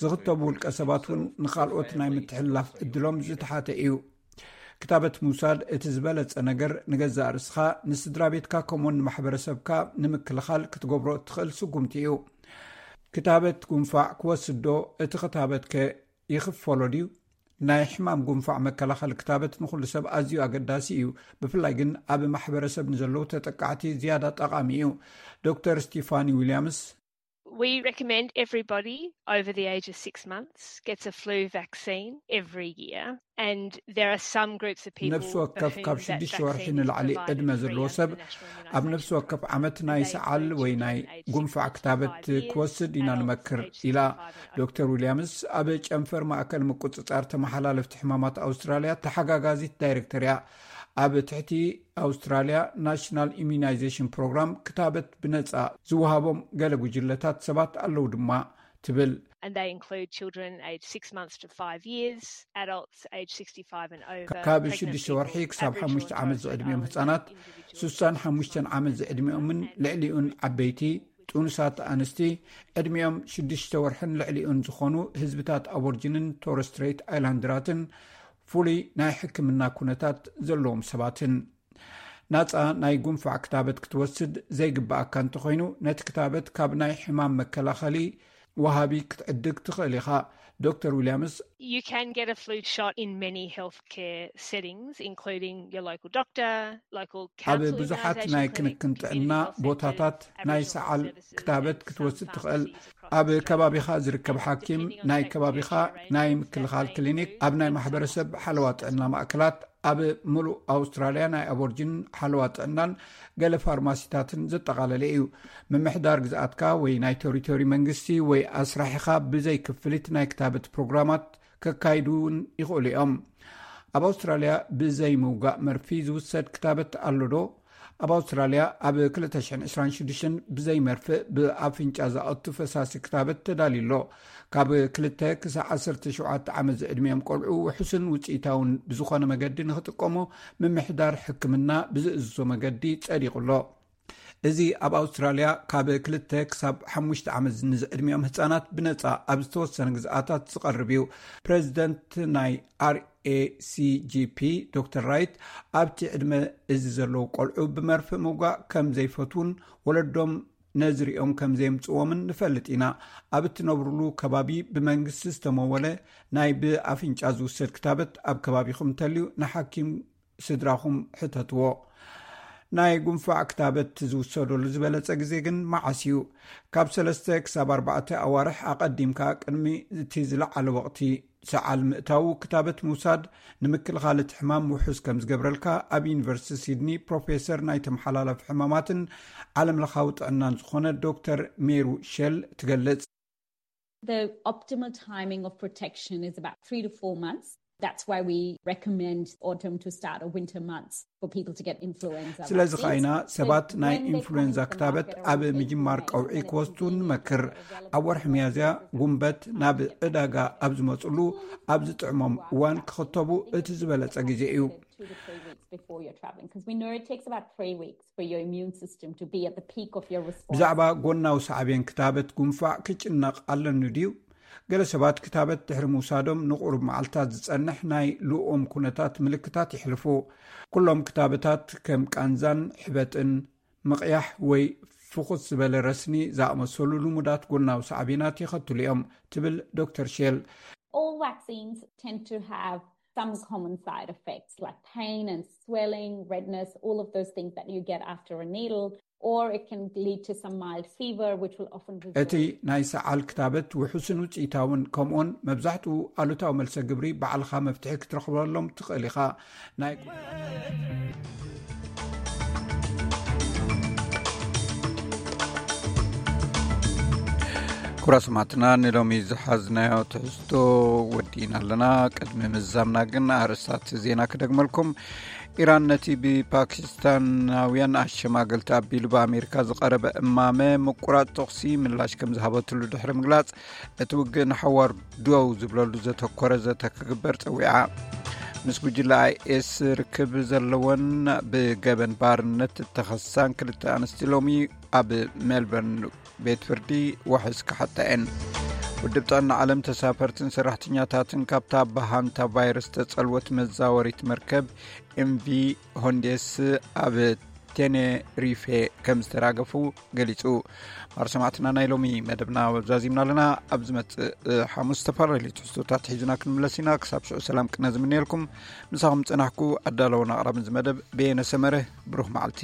ዝኽተቡ ውልቀ ሰባት እውን ንኻልኦት ናይ ምትሕልላፍ እድሎም ዝተሓተ እዩ። ክታበት ምውሳድ እቲ ዝበለጸ ነገር ንገዛእ ርእስኻ፣ ንስድራ ቤትካ፣ ከምኡውን ንማሕበረሰብካ ንምክልኻል ክትገብሮ እትኽእል ስጉምቲ እዩ። ክታበት ጉንፋዕ ክወስድ ዶ? እቲ ክታበትከ ይኽፈሎ ድዩ? ናይ ሕማም ጉንፋዕ መከላኸሊ ክታበት ንኹሉ ሰብ ኣዝዩ ኣገዳሲ እዩ። ብፍላይ ግን ኣብ ማሕበረሰብ ንዘለዉ ተጠቃዕቲ ዝያዳ ጠቓሚ እዩ። ዶክተር ስቲፋኒ ዊልያምስ፣ We recommend everybody over the age of six months gets a flu vaccine every year. And there are some groups of people ነፍሲ ወከፍ ካብ ሽዱሽተ ወርሒ ንላዕሊ ዕድመ ዘለዎ ሰብ ኣብ ነፍሲ ወከፍ ዓመት ናይ ሰዓል ወይ ናይ ጉንፋዕ ክታበት ክወስድ ኢና ንመክር፣ ኢላ። ዶክተር ዊልያምስ ኣብ ጨንፈር ማእከል ምቁጽጻር ተመሓላለፍቲ ሕማማት ኣውስትራልያ ተሓጋጋዚት ዳይሬክተር እያ። ኣብ ትሕቲ ኣውስትራልያ ናሽናል ኢሚዩናይዜሽን ፕሮግራም ክታበት ብነጻ ዝወሃቦም ገለ ጉጅለታት ሰባት ኣለዉ ድማ ትብል። And they include children aged six months to five years, adults aged sixty-five and over, ካብ ሽዱሽተ ወርሒ ክሳብ ሓሙሽተ ዓመት ዝዕድሚኦም ህጻናት፣ ሱሳን ሓሙሽተን ዓመት ዝዕድሚኦምን ልዕሊኡን ዓበይቲ፣ ጥኑሳት ኣንስቲ፣ ዕድሚኦም ሽዱሽተ ወርሕን ልዕሊኡን ዝኾኑ ህዝብታት ኣቦርጅንን ቶረስ ስትሬት ኣይላንድራትን ፍሉይ ናይ ሕክምና ኩነታት ዘለዎም ሰባትን። ናጻ ናይ ጉንፋዕ ክታበት ክትወስድ ዘይግብኣካ እንተኾይኑ፣ ነቲ ክታበት ካብ ናይ ሕማም መከላኸሊ ወሃቢ ክትዕድግ ትኽእል ኢኻ። ዶክተር ዊልያምስ፣ You can get a flu shot in many healthcare settings, including your local doctor, local ኣብ ብዙሓት ናይ ክንክን ጥዕና ቦታታት ናይ ሰዓል ክታበት ክትወስድ ትኽእል። ኣብ ከባቢኻ ዝርከብ ሓኪም፣ ናይ ከባቢኻ ናይ ምክልኻል ክሊኒክ፣ ኣብ ናይ ማሕበረሰብ ሓለዋ ጥዕና ማእከላት፣ ኣብ ምሉእ ኣውስትራልያ ናይ ኣቦርጅን ሓለዋ ጥዕናን ገለ ፋርማሲታትን ዘጠቓለለ እዩ። ምምሕዳር ግዝኣትካ ወይ ናይ ቴሪቶሪ መንግስቲ ወይ ኣስራሒኻ ብዘይ ክፍሊት ናይ ክታበት ፕሮግራማት ከካይዱ እውን ይኽእሉ እዮም። ኣብ ኣውስትራልያ ብዘይ ምውጋእ መርፊ ዝውሰድ ክታበት ኣሎ ዶ? ኣብ ኣውስትራልያ ኣብ ክልተ ሽሕን ዕስራን ሽዱሽተን ብዘይ መርፍእ ብኣፍንጫ ዝኣቱ ፈሳሲ ክታበት ተዳልዩ ኣሎ። ካብ ክልተ ክሳብ ዓሰርተ ሸውዓተ ዓመት ዝዕድሚኦም ቆልዑ ውሑስን ውፅኢታውን ብዝኾነ መገዲ ንኽጥቀሙ ምምሕዳር ሕክምና ብዝእዝዞ መገዲ ጸዲቑ ኣሎ። እዚ ኣብ ኣውስትራልያ ካብ ክልተ ክሳብ ሓሙሽተ ዓመት ንዝዕድሚኦም ህጻናት ብነጻ ኣብ ዝተወሰነ ግዝኣታት ዝቐርብ እዩ። ፕሬዚደንት ናይ ኣር ኤ ሲ ጂ ፒ ዶክተር ራይት፣ ኣብቲ ዕድመ እዚ ዘለዉ ቆልዑ ብመርፍእ ምውጋእ ከም ዘይፈትዉን ወለዶም ነዚ ሪኦም ከም ዘየምጽዎምን ንፈልጥ ኢና። ኣብ እትነብሩሉ ከባቢ ብመንግስቲ ዝተመወለ ናይ ብኣፍንጫ ዝውሰድ ክታበት ኣብ ከባቢኹም እንተልዩ፣ ንሓኪም ስድራኹም ሕተትዎ። ናይ ጉንፋዕ ክታበት ዝውሰደሉ ዝበለጸ ግዜ ግን መዓስ እዩ? ካብ ሰለስተ ክሳብ ኣርባዕተ ኣዋርሕ ኣቐዲምካ፣ ቅድሚ እቲ ዝለዓለ ወቕቲ ሰዓል ምእታዉ፣ ክታበት ምውሳድ ንምክልኻል እቲ ሕማም ውሑስ ከም ዝገብረልካ ኣብ ዩኒቨርሲቲ ሲድኒ ፕሮፌሰር ናይ ተመሓላለፊ ሕማማትን ዓለም ለኻዊ ጥዕናን ዝኾነ ዶክተር ሜሩ ሼል ትገልጽ። The optimal timing of protection is about three to four months. That's why we recommend autumn to start or winter months for people to get influenza ስለዚ vaccines. ከይና ሰባት ናይ ኢንፍሉዌንዛ ክታበት ኣብ ምጅማር ቀውዒ ክወስዱ ንመክር። ኣብ ወርሒ ሚያዝያ፣ ጉንበት፣ ናብ ዕዳጋ ኣብ ዝመጽሉ፣ ኣብ ዝጥዕሞም እዋን ክኽተቡ እቲ ዝበለጸ ግዜ እዩ። Two to three weeks before you're traveling, because we know it takes about three weeks for your immune system to be at the peak of your response. ብዛዕባ ጎናዊ ሳዕቤን ክታበት ጉንፋዕ ክጭነቕ ኣለኒ ድዩ? ገለ ሰባት ክታበት ድሕሪ ምውሳዶም ንቑሩብ መዓልታት ዝጸንሕ ናይ ልኡም ኩነታት ምልክታት የሕልፉ። ኩሎም ክታበታት ከም ቃንዛን ሕበጥን፣ ምቕያሕ ወይ ፍኹስ ዝበለ ረስኒ ዝኣመሰሉ ልሙዳት ጎናዊ ሳዕቤናት የኸትሉ እዮም፣ ትብል ዶክተር ሼል። All vaccines tend to have some common side effects like pain and swelling, redness, all of those things that you get after a needle, or it can lead to some mild fever, which will often result. እቲ ናይ ሰዓል ክታበት ውሑስን ውፅኢታውን፣ ከምኡውን መብዛሕትኡ ኣሉታዊ መልሰ ግብሪ ባዕልኻ መፍትሒ ክትረኽበሎም ትኽእል ኢኻ። ናይ ኩራ ሰማዕትና፣ ንሎሚ ዝሓዝናዮ ትሕዝቶ ወዲእና ኣለና። ቅድሚ ምዛምና ግን ኣርእስታት ዜና ክደግመልኩም። ኢራን ነቲ ብፓኪስታናውያን ኣሸማገልቲ ኣቢሉ ብኣሜሪካ ዝቐረበ እማመ ምቁራጽ ተኹሲ ምላሽ ከም ዝሃበትሉ ድሕሪ ምግላጽ፣ እቲ ውግእ ንሓዋር ደው ዝብለሉ ዘተኮረ ዘተ ክግበር ጸዊዓ። ምስ ጉጅለ ኣይኤስ ርክብ ዘለወን ብገበን ባርነት እተኸሳን ክልተ ኣንስቲ ሎሚ ኣብ ሜልበርን ቤት ፍርዲ ዋሕስ ክሓታ እየን። ውድብ ጥዕና ዓለም ተሳፈርትን ሰራሕተኛታትን ካብታ ብሃንታ ቫይረስ ተጸልወት መዛወሪት መርከብ ኤምቪ ሆንዴስ ኣብ ቴኔሪፌ ከም ዝተራገፉ ገሊጹ። ማር ሰማዕትና፣ ናይ ሎሚ መደብና ዛዚምና ኣለና። ኣብ ዝመጽእ ሓሙስ ዝተፈላለዩ ትሕዝቶታት ሒዝና ክንምለስ ኢና። ክሳብ ሽዑ ሰላም ቅነ ዝምነየልኩም። ምሳኹም ጸናሕኩ ኣዳለውን ኣቕራብን እዚ መደብ በየነ ሰመረ። ብሩኽ መዓልቲ።